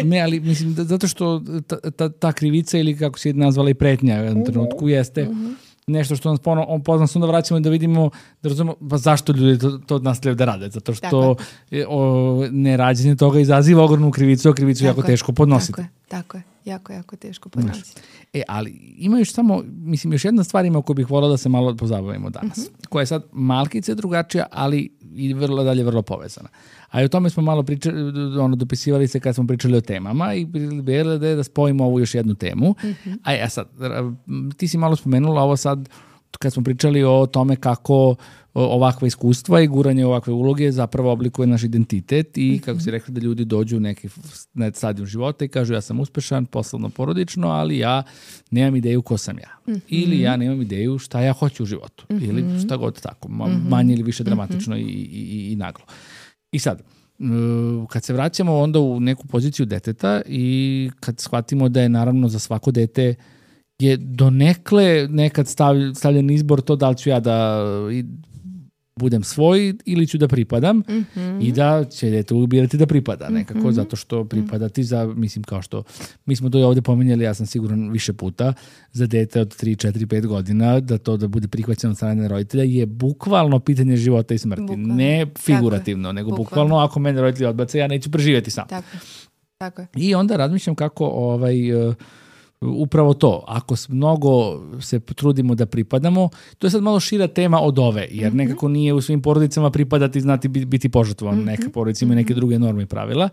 Ne, ali mislim, da, zato što ta, ta, ta krivica ili kako se nazvala i pretnja u jednom trenutku jeste, mm-hmm. nešto što nas ponovno pozna se onda vraćamo da vidimo, da razumemo pa zašto ljudi to, to nastavljaju da rade, zato što je, o, nerađenje toga izaziva ogromnu krivicu, a krivicu tako jako je teško podnositi. Tako je, tako je, jako, jako teško podnositi. E, ali ima još samo, mislim, još jedna stvar ima koju bih volao da se malo pozabavimo danas, uh-huh. koja je sad malkice drugačija, ali i vrlo dalje vrlo povezana. A i o tome smo malo pričali, ono, dopisivali se kad smo pričali o temama i bilo da je da spojimo ovu još jednu temu. Uh-huh. A ja sad, ti si malo spomenula ovo sad, kad smo pričali o tome kako ovakva iskustva i guranje ovakve uloge zapravo oblikuje naš identitet i kako si rekla da ljudi dođu u neki stadijum života i kažu ja sam uspešan, poslovno, porodično, ali ja nemam ideju ko sam ja. Mm-hmm. Ili ja nemam ideju šta ja hoću u životu. Mm-hmm. Ili šta god tako, manje ili više dramatično mm-hmm. i, i, i naglo. I sad, kad se vraćamo onda u neku poziciju deteta i kad shvatimo da je naravno za svako dete je donekle nekad stavljen izbor to da li ću ja da budem svoj ili ću da pripadam mm-hmm. i da će dete ubirati da pripada nekako, mm-hmm. zato što pripadati za, mislim kao što, mi smo to i ovdje pomenjali, ja sam siguran više puta, za dete od tri, četiri, pet godina, da to da bude prihvaćeno od strane roditelja je bukvalno pitanje života i smrti. Bukvalno. Ne figurativno, nego bukvalno. bukvalno ako mene roditelji odbace, ja neću preživjeti sam. Tako, tako je. I onda razmišljam kako ovaj... upravo to, ako mnogo se trudimo da pripadamo, to je sad malo šira tema od ove, jer mm-hmm. nekako nije u svim porodicama pripadati, znati biti požrtvovan, mm-hmm. neka porodica ima neke druge norme i pravila,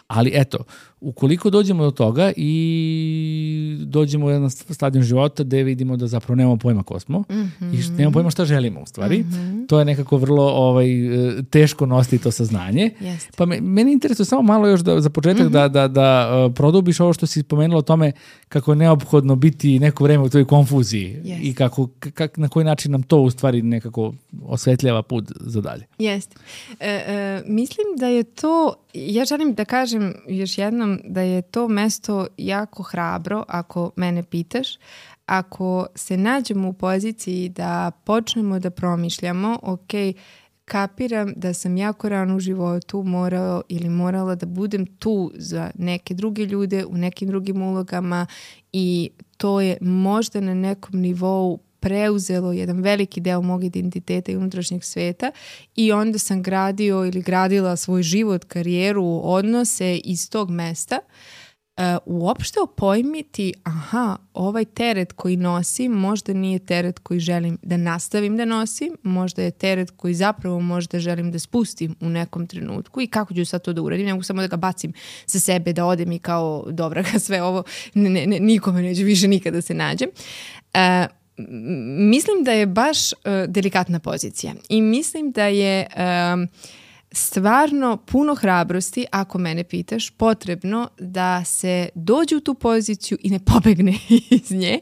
ali eto, ukoliko dođemo do toga i dođemo u jedan stadion života gde vidimo da zapravo nemamo pojma ko smo mm-hmm. i nemamo pojma šta želimo u stvari, mm-hmm. to je nekako vrlo ovaj, teško nositi to saznanje. Jeste. Pa me, meni interesuje samo malo još da, za početak mm-hmm. da, da, da uh, produbiš ovo što si spomenula o tome kako je neophodno biti neko vreme u toj konfuziji yes. i kako, kak, na koji način nam to u stvari nekako osvetljava put za dalje. Jeste. E, e, mislim da je to, ja želim da kažem još jednom da je to mesto jako hrabro ako mene pitaš, ako se nađemo u poziciji da počnemo da promišljamo, ok, kapiram da sam jako rano u životu morao ili morala da budem tu za neke druge ljude u nekim drugim ulogama i to je možda na nekom nivou preuzelo jedan veliki deo mog identiteta i unutrašnjeg sveta i onda sam gradio ili gradila svoj život, karijeru, odnose iz tog mesta. Uh, uopšte opojmiti, aha, ovaj teret koji nosim možda nije teret koji želim da nastavim da nosim, možda je teret koji zapravo možda želim da spustim u nekom trenutku i kako ću sad to da uradim, ne mogu samo da ga bacim sa sebe, da odem i kao dobra ga sve ovo, ne, ne, ne, nikome neće više nikada se nađem. Uh, mislim da je baš uh, delikatna pozicija i mislim da je um, stvarno puno hrabrosti, ako mene pitaš, potrebno da se dođe u tu poziciju i ne pobegne iz nje,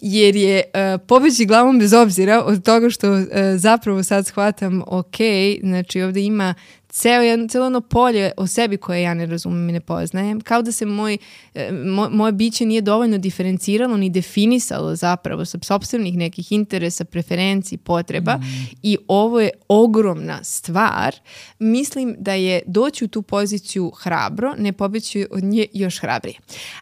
jer je uh, pobeći glavom bez obzira od toga što uh, zapravo sad shvatam, ok, znači ovdje ima ceo jedno, celo ono polje o sebi koje ja ne razumem i ne poznajem, kao da se moj, moj, moje biće nije dovoljno diferenciralo ni definisalo zapravo sa sopstvenih nekih interesa, preferenciji, potreba mm. i ovo je ogromna stvar. Mislim da je doći u tu poziciju hrabro, ne pobeći od nje još hrabrije.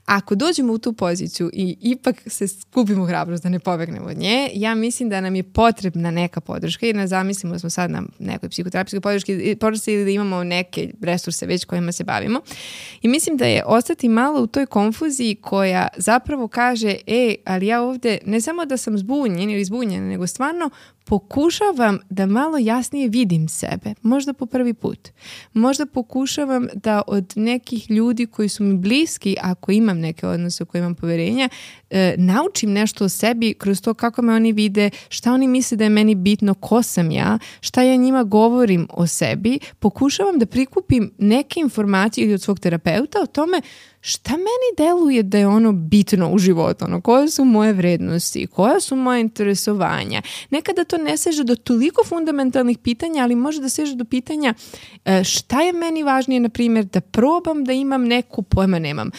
Ako dođemo u tu poziciju i ipak se skupimo hrabrost da ne pobegnemo od nje, ja mislim da nam je potrebna neka podrška, jer ne zamislimo da smo sad na nekoj psihoterapijskoj podrški, podršci da imamo neke resurse već kojima se bavimo. I mislim da je ostati malo u toj konfuziji koja zapravo kaže, e, ali ja ovdje ne samo da sam zbunjen ili zbunjena, nego stvarno pokušavam da malo jasnije vidim sebe. Možda po prvi put. Možda pokušavam da od nekih ljudi koji su mi bliski, ako imam neke odnose u koje imam poverenja, e, naučim nešto o sebi kroz to kako me oni vide, šta oni misle da je meni bitno, ko sam ja, šta ja njima govorim o sebi. Pokušavam da prikupim neke informacije ili od svog terapeuta o tome šta meni deluje da je ono bitno u životu, ono, koje su moje vrednosti, koja su moje interesovanja. Nekada to ne seže do toliko fundamentalnih pitanja, ali može da seže do pitanja šta je meni važnije, na primjer, da probam da imam neku, pojma nemam,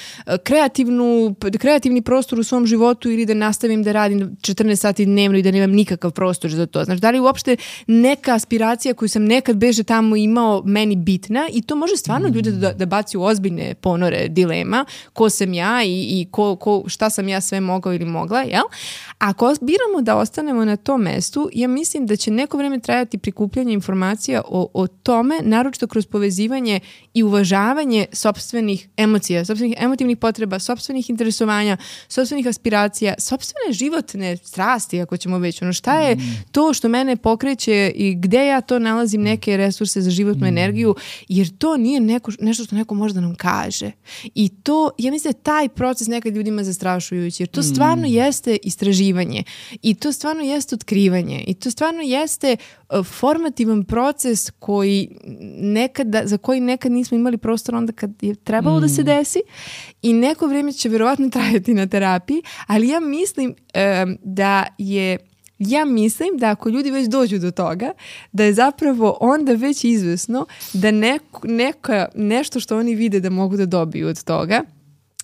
kreativnu, kreativni prostor u svom životu ili da nastavim da radim četrnaest sati dnevno i da nemam nikakav prostor za to. Znači, da li uopšte neka aspiracija koju sam nekad beže tamo imao meni bitna i to može stvarno ljude da, da baci u ozbiljne ponore dilema. tema, ko sam ja i, i ko, ko, šta sam ja sve mogao ili mogla, jel? Ako biramo da ostanemo na tom mestu, ja mislim da će neko vreme trajati prikupljanje informacija o, o tome, naročito kroz povezivanje i uvažavanje sopstvenih emocija, sopstvenih emotivnih potreba, sopstvenih interesovanja, sopstvenih aspiracija, sopstvene životne strasti, ako ćemo već. Ono, šta je to što mene pokreće i gde ja to nalazim neke resurse za životnu energiju, jer to nije neko, nešto što neko može da nam kaže. I to, ja mislim da taj proces nekad ljudima zastrašujući, jer to stvarno jeste istraživanje i to stvarno jeste otkrivanje i to stvarno jeste uh, formativan proces koji nekada, za koji nekad nismo imali prostor onda kad je trebalo mm. da se desi i neko vrijeme će verovatno trajati na terapiji, ali ja mislim um, da je Ja mislim da ako ljudi već dođu do toga, da je zapravo onda već izvesno da neko, neka, nešto što oni vide da mogu da dobiju od toga,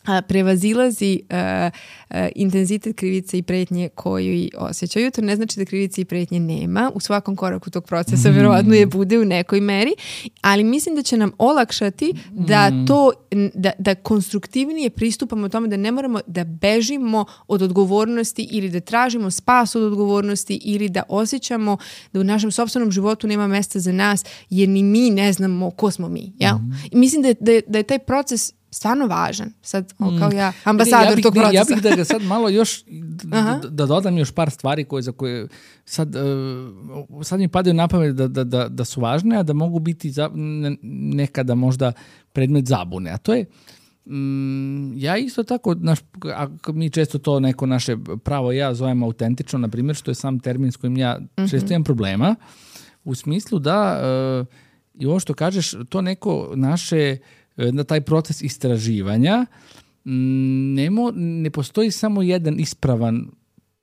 a, prevazilazi a, a, intenzitet krivice i pretnje koju osjećaju. To ne znači da krivice i pretnje nema. U svakom koraku tog procesa mm. verovatno je bude u nekoj meri, ali mislim da će nam olakšati da to, da, da konstruktivnije pristupamo tome, da ne moramo da bežimo od odgovornosti ili da tražimo spas od odgovornosti ili da osjećamo da u našem sopstvenom životu nema mesta za nas jer ni mi ne znamo ko smo mi. Jel? Mm. I mislim da je, da, je, da je taj proces stvarno važan. Sad, o, kao ja, ambasador ja bih, tog procesa. Ja bih da ga sad malo još, da, da dodam još par stvari koje, za koje sad, uh, sad mi padaju na pamet da, da, da, da su važne, a da mogu biti za, nekada možda predmet zabune. A to je, um, ja isto tako, naš, ako mi često to neko naše pravo ja zovem autentično, na primjer, što je sam termin s kojim ja često mm-hmm. imam problema, u smislu da, uh, i ovo što kažeš, to neko naše na taj proces istraživanja nemo, ne postoji samo jedan ispravan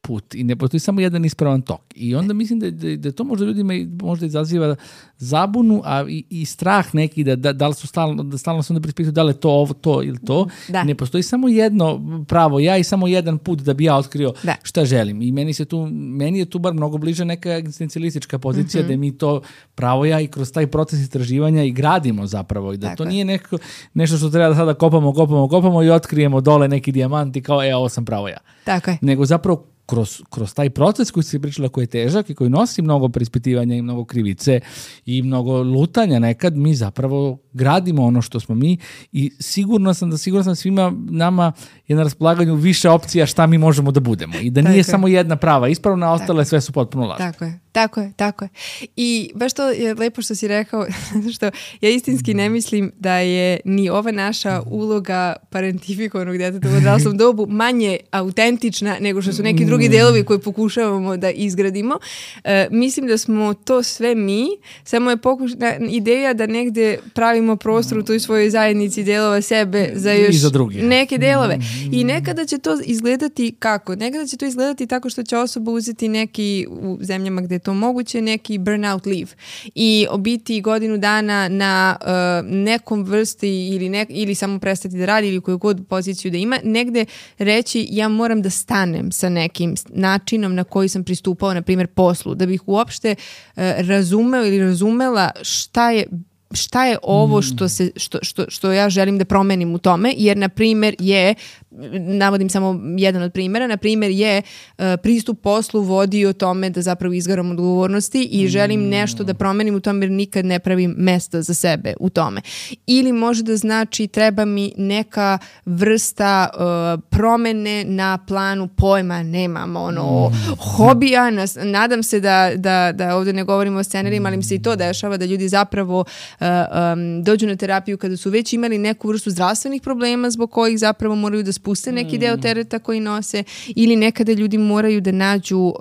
put i ne postoji samo jedan ispravan tok. I onda mislim da, da, da to možda ljudima možda izaziva zabunu, a i, i strah neki da, da, da li su stalno, da stalno se onda prispituju da li je to ovo, to ili to. Da. Ne postoji samo jedno pravo ja i samo jedan put da bi ja otkrio da. Šta želim. I meni se tu, meni je tu bar mnogo bliže neka egzistencijalistička pozicija mm-hmm. da mi to pravo ja i kroz taj proces istraživanja i gradimo zapravo. I da tako to nije neko, nešto što treba da sada kopamo, kopamo, kopamo i otkrijemo dole neki dijamant i kao, e, ovo sam pravo ja. Tako je. Nego zapravo Kroz, kroz taj proces koji si pričala, koji je težak i koji nosi mnogo preispitivanja i mnogo krivice i mnogo lutanja nekad, mi zapravo gradimo ono što smo mi i sigurno sam da sigurno sam svima nama je na raspolaganju više opcija šta mi možemo da budemo i da nije samo jedna prava ispravna, a ostale sve su potpuno lažne. Tako je, tako je, tako je. I baš to je lepo što si rekao, što ja istinski ne mislim da je ni ova naša uloga parentifikovanog djeteta u odraslom dobu manje autentična nego što su neki drugi delovi koje pokušavamo da izgradimo. E, mislim da smo to sve mi, samo je pokušna ideja da negde pravimo prostor u toj svojoj zajednici delova sebe za još za neke delove. I nekada će to izgledati kako? Nekada će to izgledati tako što će osoba uzeti neki, u zemljama gde je to moguće, neki burnout leave i biti godinu dana na uh, nekom vrsti ili, ne, ili samo prestati da radi ili koju god poziciju da ima, negde reći ja moram da stanem sa nekim načinom na koji sam pristupao, na primjer, poslu, da bih uopšte uh, razumeo ili razumela šta je šta je ovo što, se, što, što, što ja želim da promenim u tome, jer na primjer je, navodim samo jedan od primjera, na primjer je uh, pristup poslu vodi o tome da zapravo izgaram odgovornosti i želim nešto da promenim u tome jer nikad ne pravim mesto za sebe u tome. Ili može da znači treba mi neka vrsta uh, promene na planu pojma, nemam ono hobija, nas, nadam se da, da, da ovdje ne govorimo o scenarijima, ali mi se i to dešava da ljudi zapravo Uh, um, dođu na terapiju kada su već imali neku vrstu zdravstvenih problema zbog kojih zapravo moraju da spuste neki deo tereta koji nose ili nekada ljudi moraju da nađu uh,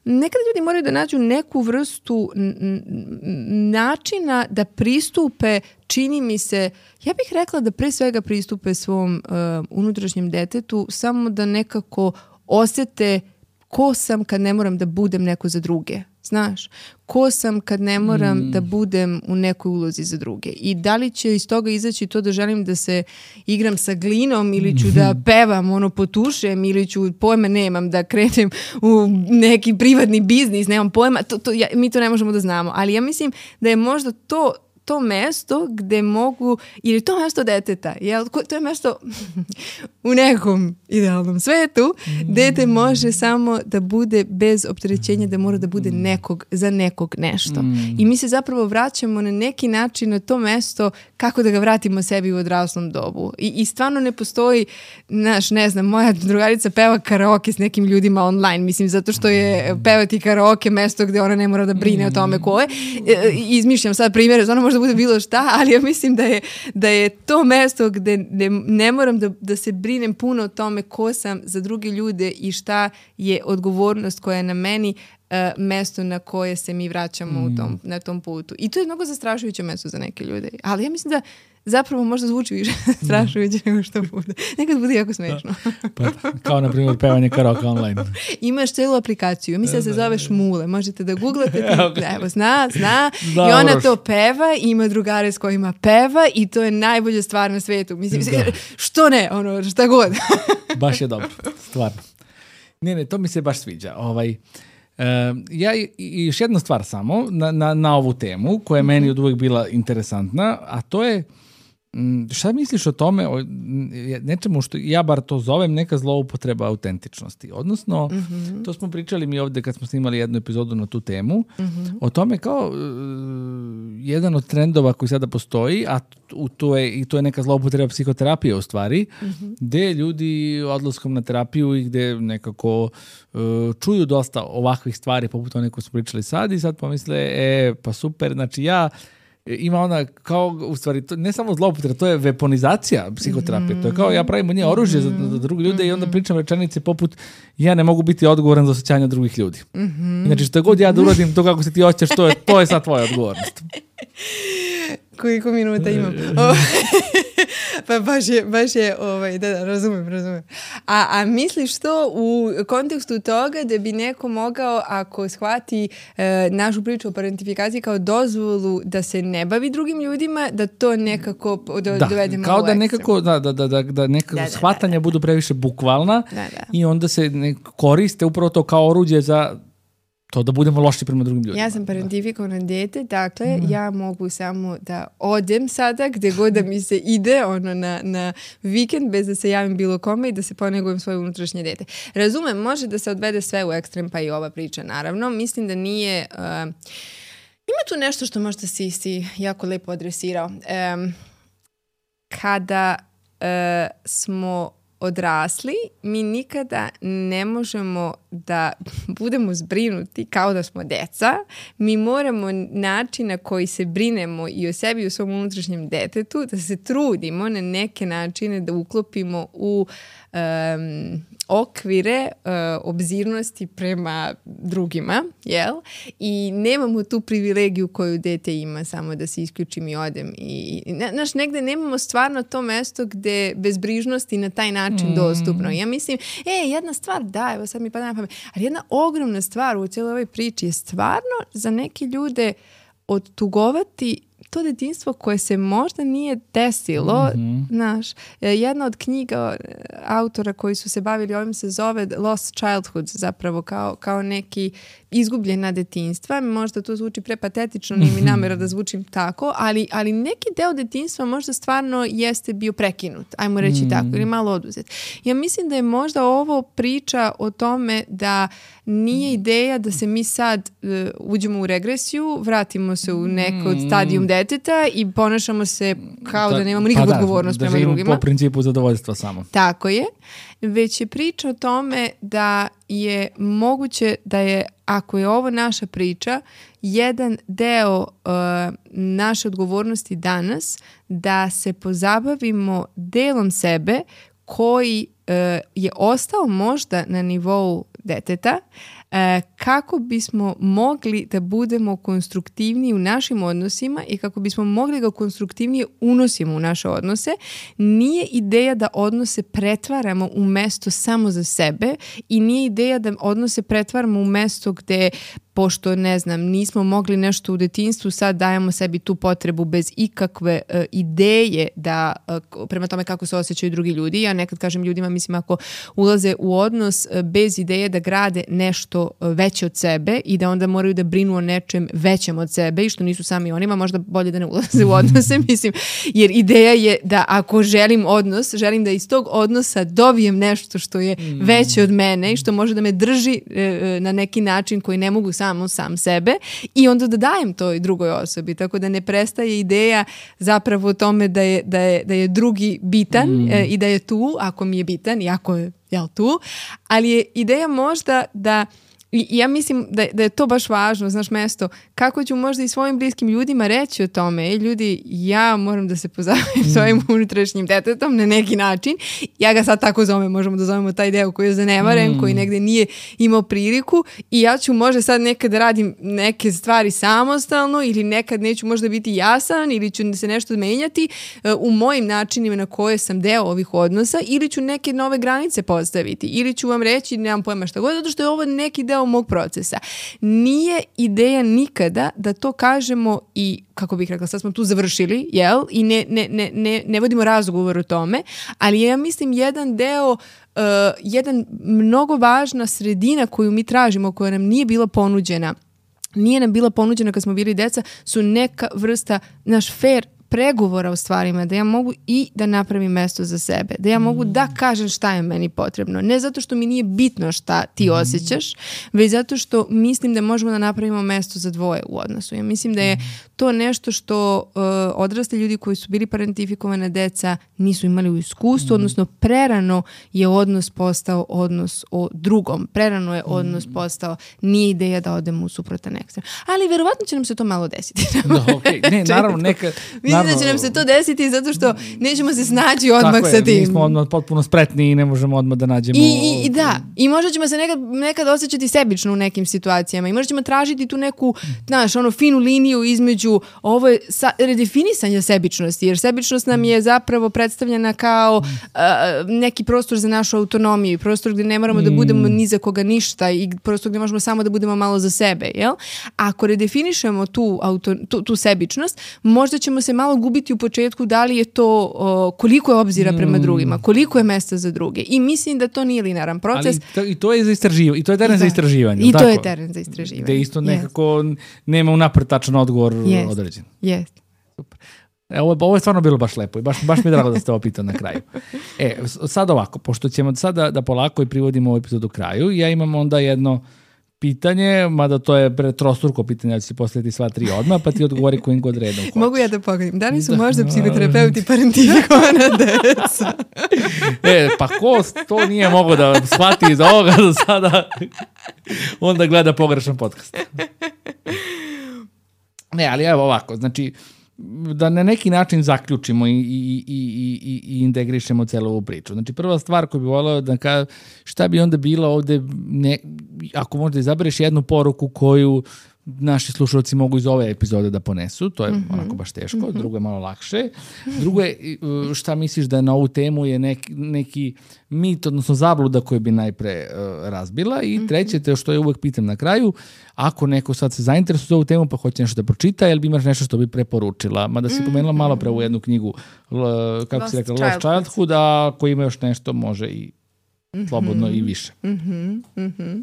nekada ljudi moraju da nađu neku vrstu n- n- načina da pristupe, čini mi se, ja bih rekla da pre svega pristupe svom uh, unutrašnjem detetu samo da nekako osete ko sam kad ne moram da budem neko za druge. Znaš, ko sam kad ne moram mm. da budem u nekoj ulozi za druge. I da li će iz toga izaći to da želim da se igram sa glinom ili ću da pevam, ono, potušem ili ću, pojma nemam, da krenem u neki privatni biznis, nemam pojma, to, to, ja, mi to ne možemo da znamo. Ali ja mislim da je možda to to mesto gde mogu, ili to mesto deteta, jel? To je mesto u nekom idealnom svetu, dete može samo da bude bez opterećenja da mora da bude nekog, za nekog nešto. Mm. I mi se zapravo vraćamo na neki način na to mesto kako da ga vratimo sebi u odraslom dobu. I, i stvarno ne postoji, naš, ne znam, moja drugarica peva karaoke s nekim ljudima online, mislim, zato što je pevati karaoke mesto gde ona ne mora da brine o tome ko je. E, izmišljam sad primjere, ono možda bude bilo šta, ali ja mislim da je, da je to mesto gde, gde ne moram da, da se brinem puno o tome ko sam za druge ljude i šta je odgovornost koja je na meni, uh, mesto na koje se mi vraćamo mm. u tom, na tom putu. I to je mnogo zastrašujuće mesto za neke ljude. Ali ja mislim da zapravo možda zvuči više strašujuće nego što bude. Nekad bude jako smešno. Pa, kao na primjer pevanje karaoke online. Imaš celu aplikaciju, mislim da se zove Šmule. Možete da googlate, Okay. evo zna, zna. Da, i ona Uroš. to peva, ima drugare s kojima peva i to je najbolja stvar na svetu. Mislim, Da. što ne, ono, šta god. Baš je dobro, stvarno. Ne, ne, to mi se baš sviđa. Ovaj, uh, ja i, i još jedna stvar samo na, na, na ovu temu koja je meni od uvek bila interesantna, a to je m, šta misliš o tome, o nečemu što ja bar to zovem neka zloupotreba autentičnosti. Odnosno, mm-hmm. to smo pričali mi ovde kad smo snimali jednu epizodu na tu temu, mm-hmm. o tome kao uh, jedan od trendova koji sada postoji, a u to je, i to je neka zloupotreba psihoterapije u stvari, mm-hmm. gde ljudi odlaskom na terapiju i gde nekako uh, čuju dosta ovakvih stvari poput one koje smo pričali sad i sad pomisle, e, pa super, znači ja ima ona kao, u stvari, to, ne samo zloupotreba, to je weaponizacija psihoterapije. Mm-hmm. To je kao ja pravim od nje oružje mm-hmm. za, za druge ljude mm-hmm. i onda pričam rečenice poput ja ne mogu biti odgovoran za osjećanja drugih ljudi. Mm-hmm. Znači što god ja da uradim, to kako se ti osjećaš, to je, to je sad tvoja odgovornost. Koliko minuta imam? Pa baš je, baš je ovaj, da, da, razumem, razumem. A, a misliš to u kontekstu toga da bi neko mogao, ako shvati e, našu priču o parentifikaciji kao dozvolu da se ne bavi drugim ljudima, da to nekako do, da, dovedemo kao u da ekstrem. nekako, da, da, da, da, da nekako Da, da, shvatanja da, da. budu previše bukvalna Da, da. i onda se ne koriste upravo to kao oruđe za to da budemo loši prema drugim ljudima. Ja sam parentifikovana dete, dakle, mm. ja mogu samo da odem sada gde god da mi se ide ono, na, na vikend bez da se javim bilo kome i da se ponegujem svoje unutrašnje dete. Razumem, može da se odvede sve u ekstrem, pa i ova priča, naravno. Mislim da nije... Uh, ima tu nešto što možda si, si jako lepo adresirao. Um, kada uh, smo odrasli, mi nikada ne možemo da budemo zbrinuti kao da smo deca. Mi moramo način na koji se brinemo i o sebi i o svom unutrašnjem detetu, da se trudimo na neke načine da uklopimo u um, okvire uh, obzirnosti prema drugima, jel? I nemamo tu privilegiju koju dete ima, samo da se isključim i odem. I, i, znaš, negde nemamo stvarno to mesto gde bezbrižnosti na taj način mm. dostupno. Ja mislim, e, jedna stvar, da, evo sad mi pada na pamet, ali jedna ogromna stvar u cijeloj ovoj priči je stvarno za neke ljude odtugovati to detinjstvo koje se možda nije desilo, mm-hmm. znaš, jedna od knjiga autora koji su se bavili ovim se zove Lost Childhood, zapravo kao, kao neki izgubljena detinjstva. Možda to zvuči prepatetično, nije mi namera da zvučim tako, ali, ali neki deo detinjstva možda stvarno jeste bio prekinut, ajmo reći mm. tako, ili malo oduzet. Ja mislim da je možda ovo priča o tome da nije ideja da se mi sad uh, uđemo u regresiju, vratimo se u neko od stadijum deteta i ponašamo se kao da, da nemamo nikakvu pa odgovornost da, prema da drugima. Po principu zadovoljstva samo. Tako je. Već je priča o tome da je moguće da je, ako je ovo naša priča, jedan deo uh, naše odgovornosti danas da se pozabavimo delom sebe koji uh, je ostao možda na nivou deteta, E, kako bismo mogli da budemo konstruktivniji u našim odnosima i kako bismo mogli ga konstruktivnije unosimo u naše odnose. Nije ideja da odnose pretvaramo u mesto samo za sebe i nije ideja da odnose pretvaramo u mesto gde, pošto, ne znam, nismo mogli nešto u detinjstvu, sad dajemo sebi tu potrebu bez ikakve uh, ideje da, uh, prema tome kako se osjećaju drugi ljudi. Ja nekad kažem ljudima, mislim, ako ulaze u odnos uh, bez ideje da grade nešto to veće od sebe i da onda moraju da brinu o nečem većem od sebe i što nisu sami onima, možda bolje da ne ulaze u odnose, mislim, jer ideja je da ako želim odnos, želim da iz tog odnosa dobijem nešto što je mm. veće od mene i što može da me drži e, na neki način koji ne mogu samo sam sebe i onda da dajem to i drugoj osobi, tako da ne prestaje ideja zapravo o tome da je, da je, da je drugi bitan mm. e, i da je tu, ako mi je bitan i ako je jel, tu, ali je ideja možda da i ja mislim da, da je to baš važno, znaš, mesto, kako ću možda i svojim bliskim ljudima reći o tome, e, ljudi, ja moram da se pozabavim mm. svojim unutrašnjim detetom na neki način, ja ga sad tako zovem, možemo da zovemo taj deo koji je zanemaren, mm. koji negde nije imao priliku i ja ću možda sad nekad da radim neke stvari samostalno ili nekad neću možda biti jasan ili ću se nešto menjati uh, u mojim načinima na koje sam deo ovih odnosa ili ću neke nove granice postaviti ili ću vam reći, nemam pojma šta god, zato što je ovo neki deo mog procesa. Nije ideja nikada da to kažemo i, kako bih rekla, sad smo tu završili, jel? I ne, ne, ne, ne, ne vodimo razgovor o tome, ali ja mislim jedan deo, uh, jedan mnogo važna sredina koju mi tražimo, koja nam nije bila ponuđena, nije nam bila ponuđena kad smo bili deca, su neka vrsta, naš fair pregovora o stvarima, da ja mogu i da napravim mesto za sebe, da ja mogu da kažem šta je meni potrebno. Ne zato što mi nije bitno šta ti osjećaš, već zato što mislim da možemo da napravimo mesto za dvoje u odnosu. Ja mislim da je to nešto što uh, odrasli ljudi koji su bili parentifikovane deca nisu imali u iskustvu, odnosno prerano je odnos postao odnos o drugom. Prerano je odnos postao, nije ideja da odemo u suprotan ekstrem. Ali verovatno će nam se to malo desiti. No, okay. Ne, naravno, nekad... Mislim da će nam se to desiti zato što nećemo se snaći odmah tako sa tim. Mi smo odmah potpuno spretni i ne možemo odmah da nađemo... I, i, i da, i možda ćemo se nekad, nekad osjećati sebično u nekim situacijama i možda ćemo tražiti tu neku, znaš, ono finu liniju između ovo je sa, redefinisanja sebičnosti, jer sebičnost nam je zapravo predstavljena kao uh, neki prostor za našu autonomiju i prostor gdje ne moramo da budemo ni za koga ništa i prostor gdje možemo samo da budemo malo za sebe, jel? Ako redefinišemo tu, auto, tu, tu sebičnost, možda ćemo se malo gubiti u početku da li je to, o, koliko je obzira prema drugima, koliko je mesta za druge. I mislim da to nije linearan proces. Ali to, i to je za istraživanje, i to je teren I za istraživanje. I tako? to je teren za istraživanje. Gde isto nekako yes. nema unapred tačan odgovor yes. određen. Jeste. Super. E, ovo, ovo je stvarno bilo baš lepo i baš, baš mi je drago da ste ovo pitali na kraju. E, sad ovako, pošto ćemo sada da polako i privodimo ovu epizodu kraju, ja imam onda jedno pitanje, mada to je trostruko pitanje, ja ću si postaviti sva tri odmah, pa ti odgovori kojim god redom hoćeš. Mogu ja da pogledam? Da li su da. možda psihoterapeuti parentifikovana deca? E, pa ko to nije mogo da shvati iz ovoga do sada, onda gleda pogrešan podcast. Ne, ali evo ovako, znači, da na neki način zaključimo i, i, i, i, i integrišemo celu ovu priču. Znači, prva stvar koju bih volao da ka, šta bi onda bilo ovde, ne, ako možda izabereš jednu poruku koju naši slušalci mogu iz ove epizode da ponesu, to je mm-hmm. onako baš teško, mm-hmm. drugo je malo lakše. Drugo je, šta misliš da je na ovu temu je neki, neki mit, odnosno zabluda koju bi najpre uh, razbila i treće, te što je uvek pitam na kraju, ako neko sad se zainteresuje za ovu temu pa hoće nešto da pročita, jel bi imaš nešto što bi preporučila? Mada si pomenula malo pre u jednu knjigu, l, kako Lost si rekla, Childhood. Lost Childhood, a ako ima još nešto, može i slobodno i više. Mhm, mhm.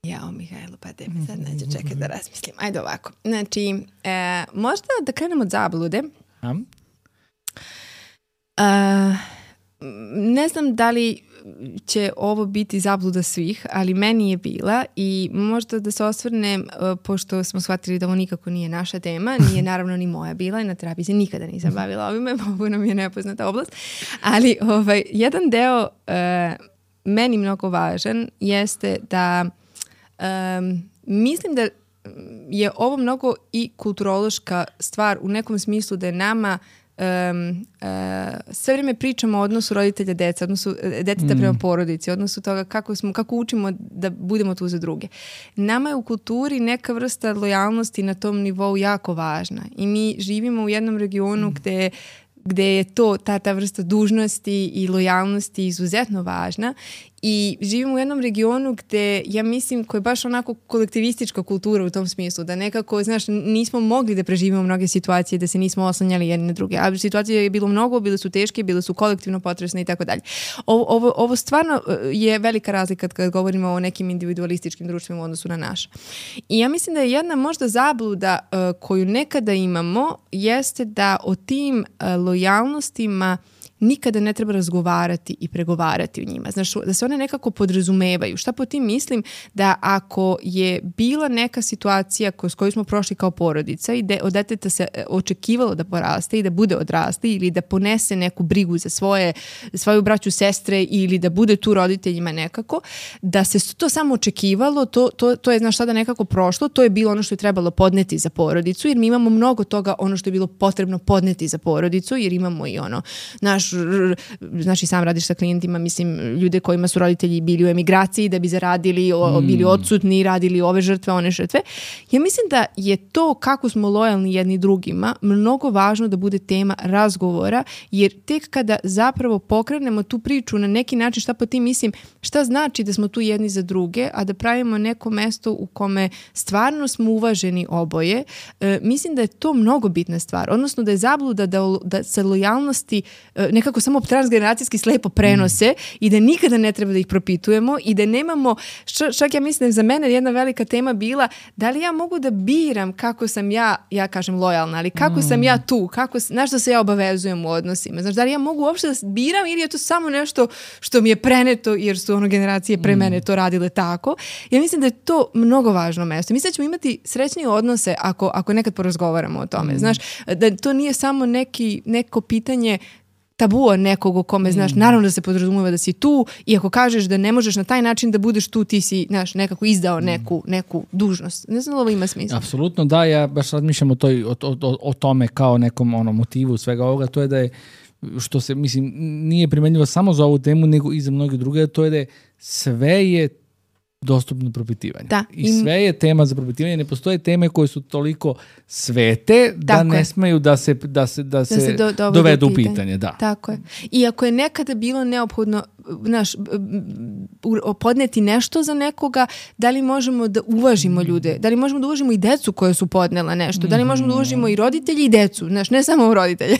Jao, Mihajlo, pa te mi sad neće čekati da razmislim. Ajde ovako. Znači, e, možda da krenemo od zablude. A? E, ne znam da li će ovo biti zabluda svih, ali meni je bila i možda da se osvrnem, pošto smo shvatili da ovo nikako nije naša tema, nije naravno ni moja bila i na terapiji se nikada nisam bavila ovime, ovo nam je nepoznata oblast, ali ovaj, jedan deo e, meni mnogo važan jeste da Um, mislim da je ovo mnogo i kulturološka stvar u nekom smislu da je nama um, uh, sve vrijeme pričamo o odnosu roditelja deca, odnosu deteta mm. prema porodici, odnosu toga kako, smo, kako učimo da budemo tu za druge. Nama je u kulturi neka vrsta lojalnosti na tom nivou jako važna i mi živimo u jednom regionu mm. gde gde je to, ta, ta vrsta dužnosti i lojalnosti izuzetno važna. I živim u jednom regionu gde, ja mislim, koja je baš onako kolektivistička kultura u tom smislu, da nekako, znaš, nismo mogli da preživimo mnoge situacije, da se nismo oslanjali jedni na druge. A situacije je bilo mnogo, bile su teške, bile su kolektivno potresne i tako dalje. Ovo, ovo, ovo stvarno je velika razlika kad govorimo o nekim individualističkim društvima u odnosu na naše. I ja mislim da je jedna možda zabluda uh, koju nekada imamo, jeste da o tim uh, lojalnostima nikada ne treba razgovarati i pregovarati o njima. Znaš, da se one nekako podrazumevaju. Šta po tim mislim? Da ako je bila neka situacija kroz koju smo prošli kao porodica i de, od deteta se očekivalo da poraste i da bude odrasli ili da ponese neku brigu za svoje, svoju braću, sestre ili da bude tu roditeljima nekako, da se to samo očekivalo, to, to, to je, znaš, sada nekako prošlo, to je bilo ono što je trebalo podneti za porodicu, jer mi imamo mnogo toga ono što je bilo potrebno podneti za porodicu, jer imamo i ono, naš znači sam radiš sa klijentima, mislim, ljude kojima su roditelji bili u emigraciji da bi zaradili, o, bili odsutni, radili ove žrtve, one žrtve. Ja mislim da je to kako smo lojalni jedni drugima mnogo važno da bude tema razgovora, jer tek kada zapravo pokrenemo tu priču na neki način, šta po tim mislim, šta znači da smo tu jedni za druge, a da pravimo neko mesto u kome stvarno smo uvaženi oboje, e, mislim da je to mnogo bitna stvar. Odnosno da je zabluda da, da se lojalnosti e, nekako samo transgeneracijski slepo prenose mm. i da nikada ne treba da ih propitujemo i da nemamo, čak ja mislim da je za mene jedna velika tema bila da li ja mogu da biram kako sam ja, ja kažem lojalna, ali kako mm. sam ja tu, kako, na što se ja obavezujem u odnosima. Znaš, da li ja mogu uopšte da biram ili je to samo nešto što mi je preneto jer su ono generacije pre mene to radile tako. Ja mislim da je to mnogo važno mesto. Mislim da ćemo imati srećnije odnose ako, ako nekad porazgovaramo o tome. Mm. Znaš, da to nije samo neki, neko pitanje tabu nekog o kome, znaš, naravno da se podrazumeva da si tu i ako kažeš da ne možeš na taj način da budeš tu, ti si, znaš, nekako izdao neku, neku dužnost. Ne znam da ovo ima smisla. Apsolutno, da, ja baš razmišljam o, toj, o, o, o tome kao nekom ono, motivu svega ovoga, to je da je, što se, mislim, nije primenljivo samo za ovu temu, nego i za mnoge druge, to je da je sve je dostupno propitivanju. Da, I im... sve je tema za propitivanje. Ne postoje teme koje su toliko svete da tako ne je. Smeju da se, da se, da da se, se do, dovedu u pitanje. pitanje. Da. Tako je. I ako je nekada bilo neophodno naš, podneti nešto za nekoga, da li možemo da uvažimo ljude? Da li možemo da uvažimo i decu koje su podnela nešto? Da li možemo da uvažimo i roditelji i decu? Znaš, ne samo roditelje.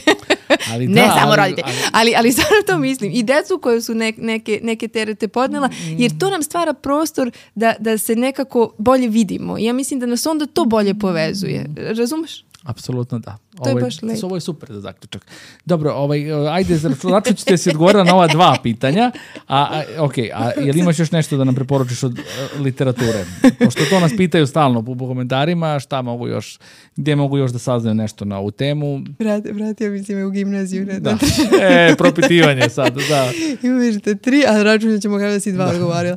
Ali ne da, samo ali, roditelji. Ali, ali, ali samo to mislim. I decu koje su ne, neke, neke terete podnela, jer to nam stvara prostor da, da se nekako bolje vidimo. Ja mislim da nas onda to bolje povezuje. Razumeš? Apsolutno da. To je ovo, baš lepo. Ovo je super za zaključak. Dobro, ovaj, ajde, računat ćete si odgovoriti na ova dva pitanja. A, a, ok, a jel imaš još nešto da nam preporučiš od uh, literature? Pošto to nas pitaju stalno po, po komentarima, šta mogu još, gdje mogu još da saznaju nešto na ovu temu? Brat, vratio mi si me u gimnaziju. Ne, da. E, propitivanje sad, da. Imaš te tri, a računat ćemo kada si dva odgovorila.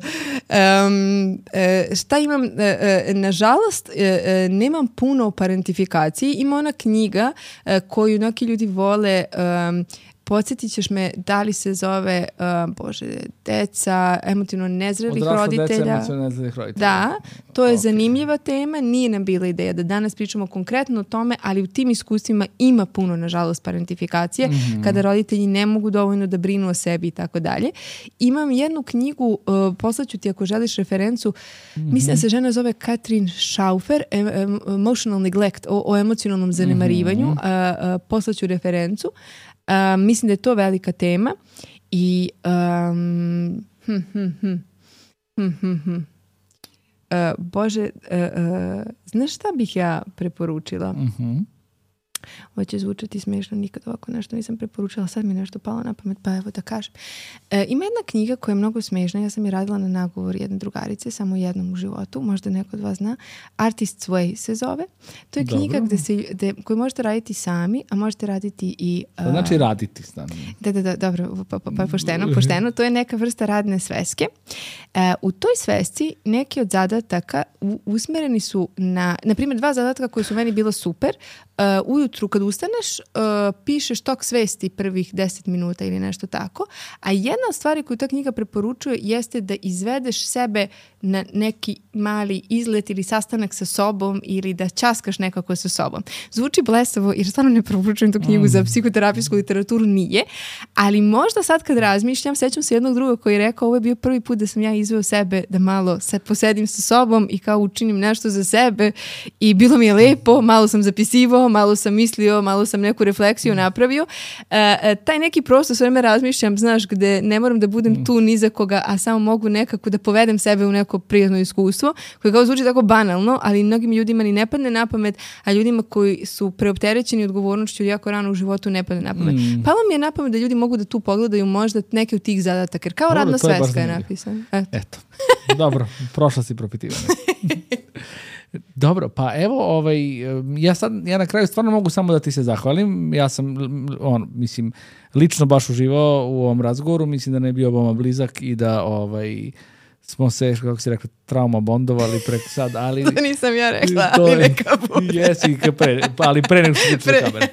Um, e, šta imam? E, e, nažalost, e, e, nemam puno o parentifikaciji. Ima ona knjiga e, koju neki ljudi vole, um, podsjetit ćeš me da li se zove um, Bože, deca emotivno nezrelih Odrasla roditelja. Deca emotivno nezrelih roditelja. Da, to je okay. zanimljiva tema. Nije nam bila ideja da danas pričamo konkretno o tome, ali u tim iskustvima ima puno, nažalost, parentifikacije, mm-hmm. kada roditelji ne mogu dovoljno da brinu o sebi i tako dalje. Imam jednu knjigu, uh, poslaću ti ako želiš referencu, mm-hmm. mislim da se žena zove Katrin Schaufer, Emotional Neglect, o, o emocionalnom zanemarivanju. Mm-hmm. Uh, uh, poslaću referencu. Uh, mislim da je to velika tema i um, hm, hm, hm, hm, hm, hm. Uh, Bože, uh, uh, znaš šta bih ja preporučila? Mm-hmm. Ovo će zvučati smiješno, nikad ovako nešto nisam preporučila, sad mi je nešto palo na pamet, pa evo da kažem. E, ima jedna knjiga koja je mnogo smiješna, ja sam je radila na nagovor jedne drugarice, samo jednom u životu, možda neko od vas zna. Artist's Way se zove. To je knjiga gde se, gde, koju možete raditi sami, a možete raditi i... Uh, znači raditi stano. Da, da, da, dobro, pa, pa, pa pošteno, pošteno. To je neka vrsta radne sveske. E, u toj svesci neki od zadataka u, usmereni su na, na primjer, dva zadatka koji su meni bilo super. Uh, ujutru ujutru kad ustaneš, uh, pišeš tok svesti prvih deset minuta ili nešto tako, a jedna od stvari koju ta knjiga preporučuje jeste da izvedeš sebe na neki mali izlet ili sastanak sa sobom ili da ćaskaš nekako sa sobom. Zvuči blesavo jer stvarno ne preporučujem tu knjigu mm. za psihoterapijsku literaturu, nije, ali možda sad kad razmišljam, sećam se jednog druga koji je rekao ovo je bio prvi put da sam ja izveo sebe da malo se posedim sa sobom i kao učinim nešto za sebe i bilo mi je lepo, malo sam zapisivao, malo sam mislio, malo sam neku refleksiju napravio. Uh, taj neki prostor sve vreme razmišljam, znaš, gde ne moram da budem tu ni za koga, a samo mogu nekako da povedem sebe u neko prijatno iskustvo, koje kao zvuči tako banalno, ali mnogim ljudima ni ne padne na pamet, a ljudima koji su preopterećeni odgovornošću jako rano u životu ne padne na pamet. Mm. Pa vam je na pamet da ljudi mogu da tu pogledaju možda neke od tih zadataka, jer kao Dobro, radna sveska je napisana. Eto. Eto. Dobro, prošla si propitivanje. Dobro, pa evo, ovaj, ja sad, ja na kraju stvarno mogu samo da ti se zahvalim. Ja sam, on, mislim, lično baš uživao u ovom razgovoru, mislim da ne je bio veoma blizak i da, ovaj, smo se, kako si rekla, trauma bondovali preko sad, ali... To nisam ja rekla, ali neka bude. Jesi, pre, ali pre nego što se kamere.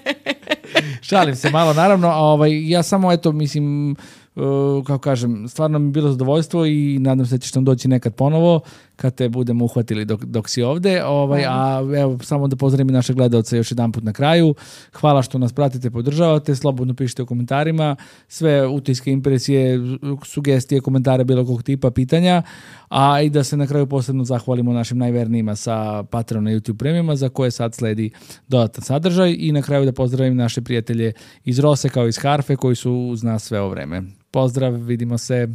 Šalim se malo, naravno, a ovaj, ja samo, eto, mislim, uh, kako kažem, stvarno mi je bilo zadovoljstvo i nadam se da ćeš nam doći nekad ponovo, kad te budemo uhvatili dok, dok si ovde. Ovaj, a evo, samo da pozdravim i naše gledalce još jedan put na kraju. Hvala što nas pratite, podržavate, slobodno pišite u komentarima, sve utiske, impresije, sugestije, komentare bilo kog tipa, pitanja, a i da se na kraju posebno zahvalimo našim najvernijima sa Patreon na YouTube premijama za koje sad sledi dodatan sadržaj i na kraju da pozdravim naše prijatelje iz Rose kao iz Harfe koji su uz nas sve ovo vreme. Pozdrav, vidimo se.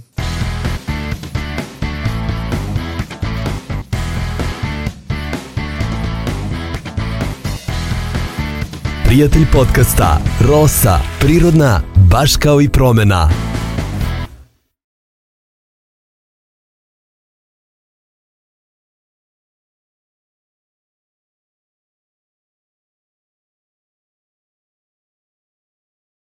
Prijatelj podcasta Rosa, prirodna, baš kao i promena.